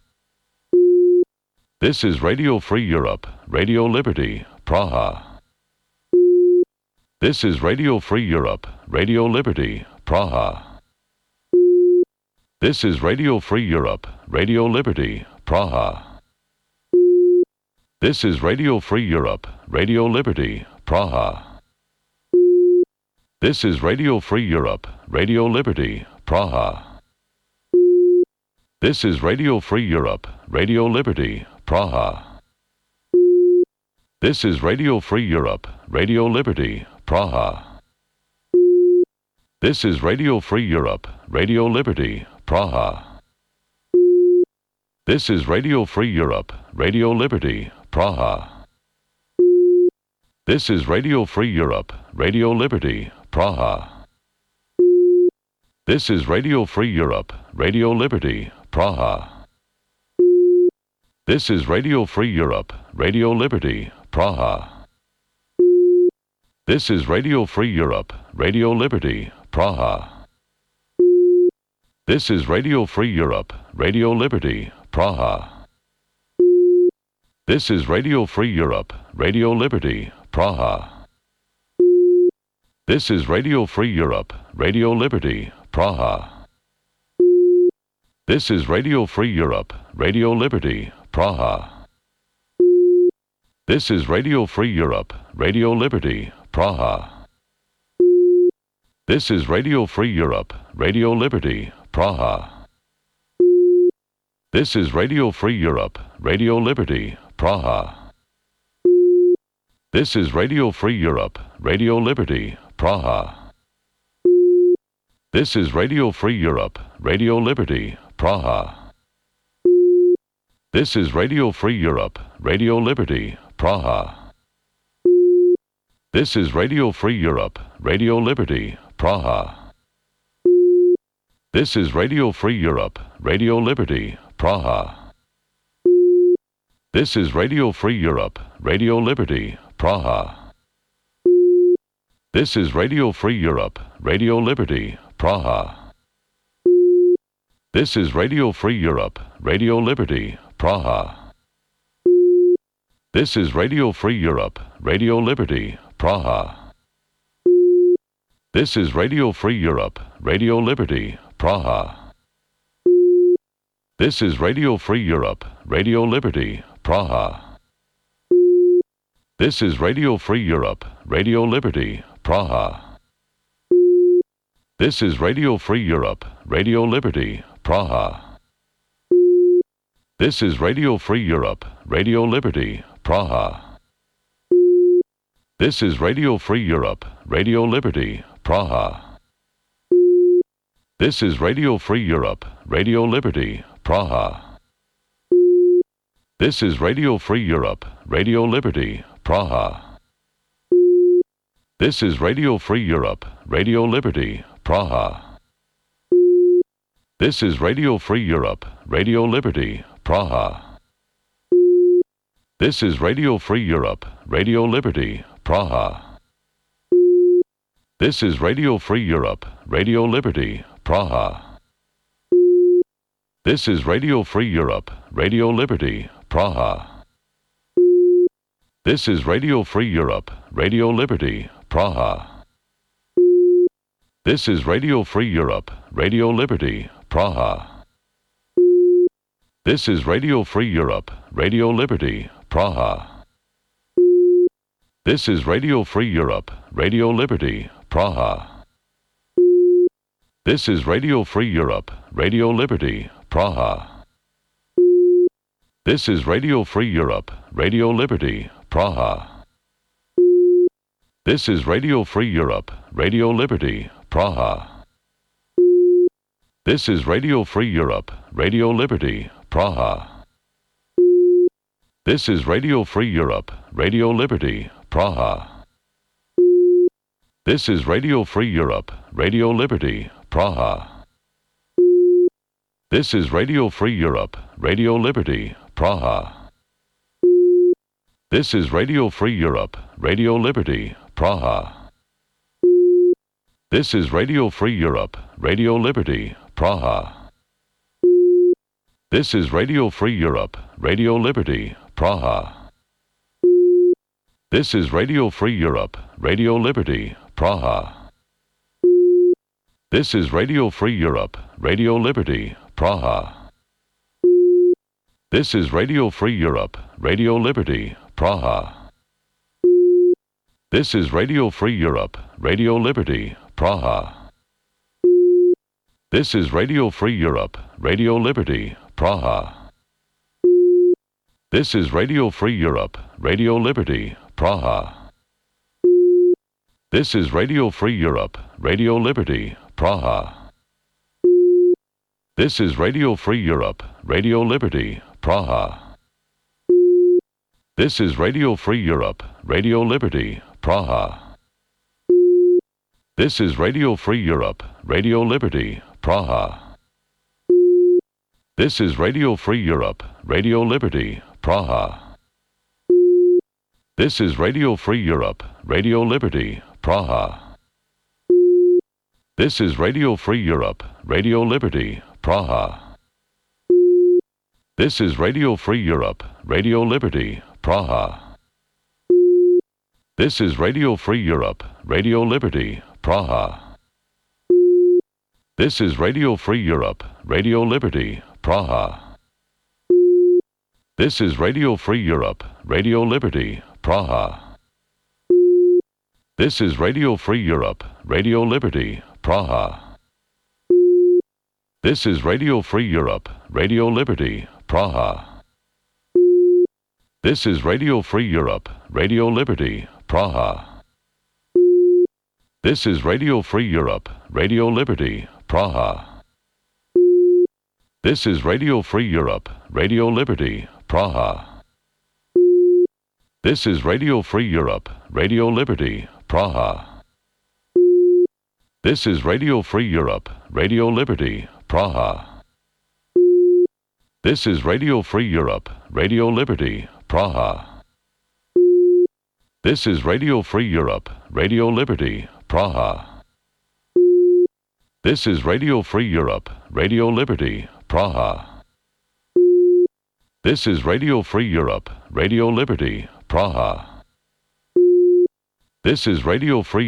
Speaker 6: This is Radio Free Europe, Radio Liberty, Praha. This is Radio Free Europe, Radio Liberty, Praha. This is Radio Free Europe, Radio Liberty, Praha. This is Radio Free Europe, Radio Liberty, Praha. This is Radio Free Europe, Radio Liberty, Praha. This is Radio Free Europe, Radio Liberty, Praha. This is Radio Free Europe, Radio Liberty, Praha. This is Radio Free Europe, Radio Liberty, Praha. This is Radio Free Europe, Radio Liberty, Praha. This is Radio Free Europe, Radio Liberty, Praha. This is Radio Free Europe, Radio Liberty, Praha. This is Radio Free Europe, Radio Liberty, Praha. This is Radio Free Europe, Radio Liberty, Praha. This is Radio Free Europe, Radio Liberty, Praha. This is Radio Free Europe, Radio Liberty, Praha. This is Radio Free Europe, Radio Liberty, Praha. This is Radio Free Europe, Radio Liberty, Praha. This is Radio Free Europe, Radio Liberty, Praha. This is Radio Free Europe, Radio Liberty, Praha. This is Radio Free Europe, Radio Liberty, Praha. This is Radio Free Europe, Radio Liberty, Praha. This is Radio Free Europe, Radio Liberty, Praha. This is Radio Free Europe, Radio Liberty, Praha. This is Radio Free Europe, Radio Liberty, Praha. This is Radio Free Europe, Radio Liberty, Praha. This is Radio Free Europe, Radio Liberty, Praha. This is Radio Free Europe, Radio Liberty, Praha. This is Radio Free Europe, Radio Liberty, Praha. This is Radio Free Europe, Radio Liberty, Praha. This is Radio Free Europe, Radio Liberty, Praha. This is Radio Free Europe, Radio Liberty, Praha. This is Radio Free Europe, Radio Liberty, Praha. This is Radio Free Europe, Radio Liberty, Praha. This is Radio Free Europe, Radio Liberty, Praha. This is Radio Free Europe, Radio Liberty, Praha. This is Radio Free Europe, Radio Liberty, Praha. This is Radio Free Europe, Radio Liberty, Praha. This is Radio Free Europe, Radio Liberty, Praha. This is Radio Free Europe, Radio Liberty, Praha. This is Radio Free Europe, Radio Liberty, Praha. This is Radio Free Europe, Radio Liberty, Praha. This is Radio Free Europe, Radio Liberty, Praha. This is Radio Free Europe, Radio Liberty, Praha. This is Radio Free Europe, Radio Liberty, Praha. This is Radio Free Europe, Radio Liberty, Praha. This is Radio Free Europe, Radio Liberty, Praha. This is Radio Free Europe, Radio Liberty, Praha. This is Radio Free Europe, Radio Liberty, Praha. This is Radio Free Europe, Radio Liberty, Praha. This is Radio Free Europe, Radio Liberty, Praha. This is Radio Free Europe, Radio Liberty, Praha. This is Radio Free Europe, Radio Liberty, Praha. This is Radio Free Europe, Radio Liberty, Praha. This is Radio Free Europe, Radio Liberty, Praha. This is Radio Free Europe, Radio Liberty, Praha. This is Radio Free Europe, Radio Liberty, Praha. This is Radio Free Europe, Radio Liberty, Praha. This is Radio Free Europe, Radio Liberty, Praha. This is Radio Free Europe, Radio Liberty, Praha. This is Radio Free Europe, Radio Liberty, Praha. This is Radio Free Europe, Radio Liberty, Praha. This is Radio Free Europe, Radio Liberty, Praha. This is Radio Free Europe, Radio Liberty, Praha. This is Radio Free Europe, Radio Liberty, Praha. This is Radio Free Europe, Radio Liberty, Praha. This is Radio Free Europe, Radio Liberty, Praha. This is Radio Free Europe, Radio Liberty, Praha. This is Radio Free Europe, Radio Liberty, Praha. This is Radio Free Europe, Radio Liberty, Praha. This is Radio Free Europe, Radio Liberty, Praha. This is Radio Free Europe, Radio Liberty, Praha. This is Radio Free Europe, Radio Liberty, Praha. This is Radio Free Europe, Radio Liberty, Praha. This is Radio Free Europe, Radio Liberty, Praha. This is Radio Free Europe, Radio Liberty, Praha. This is Radio Free Europe, Radio Liberty, Praha. This is Radio Free Europe, Radio Liberty, Praha. This is Radio Free Europe, Radio Liberty, Praha. This is Radio Free Europe, Radio Liberty, Praha. This is Radio Free Europe, Radio Liberty, Praha. This is Radio Free Europe, Radio Liberty, Praha. This is Radio Free Europe, Radio Liberty, Praha. This is Radio Free Europe, Radio Liberty, Praha. This is Radio Free Europe, Radio Liberty, Praha. This is Radio Free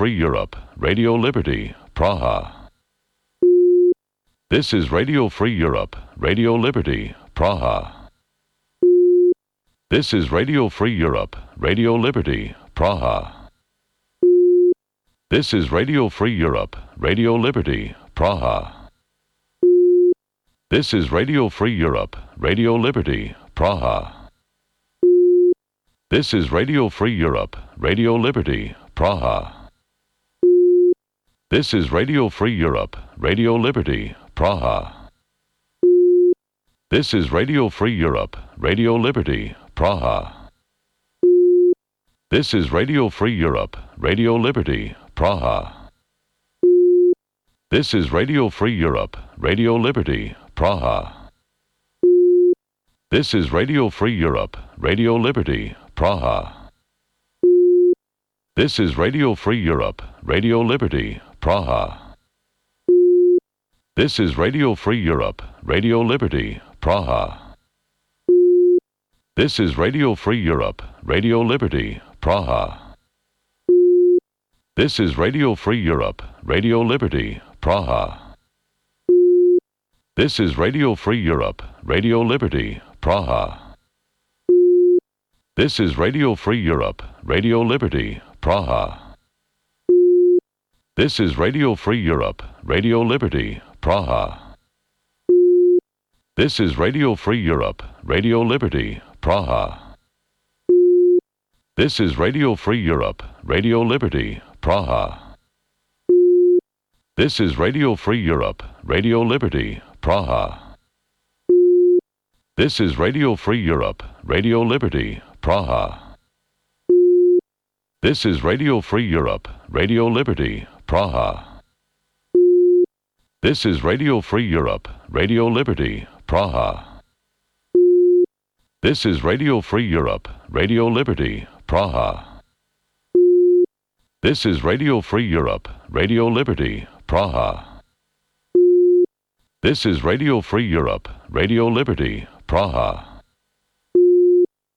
Speaker 6: Europe, Radio Liberty, Praha. This is Radio Free Europe, Radio Liberty, Praha. This is Radio Free Europe, Radio Liberty, Praha. This is Radio Free Europe, Radio Liberty, Praha. This is Radio Free Europe, Radio Liberty, Praha. This is Radio Free Europe, Radio Liberty, Praha. This is Radio Free Europe, Radio Liberty, Praha. This is Radio Free Europe, Radio Liberty, Praha. This is Radio Free Europe, Radio Liberty, Praha. This is Radio Free Europe, Radio Liberty, Praha. This is Radio Free Europe, Radio Liberty, Praha. This is Radio Free Europe, Radio Liberty, Praha. This is Radio Free Europe, Radio Liberty, Praha. This is Radio Free Europe, Radio Liberty, Praha. This is Radio Free Europe, Radio Liberty, Praha. This is Radio Free Europe, Radio Liberty, Praha. This is Radio Free Europe, Radio Liberty, Praha. This is Radio Free Europe, Radio Liberty, Praha. This is Radio Free Europe, Radio Liberty, Praha. This is Radio Free Europe, Radio Liberty, Praha. This is Radio Free Europe, Radio Liberty, Praha. This is Radio Free Europe, Radio Liberty, Praha. This is Radio Free Europe, Radio Liberty, Praha. This is Radio Free Europe, Radio Liberty, Praha. This is Radio Free Europe, Radio Liberty, Praha. This is Radio Free Europe, Radio Liberty, Praha. This is Radio Free Europe, Radio Liberty, Praha. This is Radio Free Europe, Radio Liberty, Praha.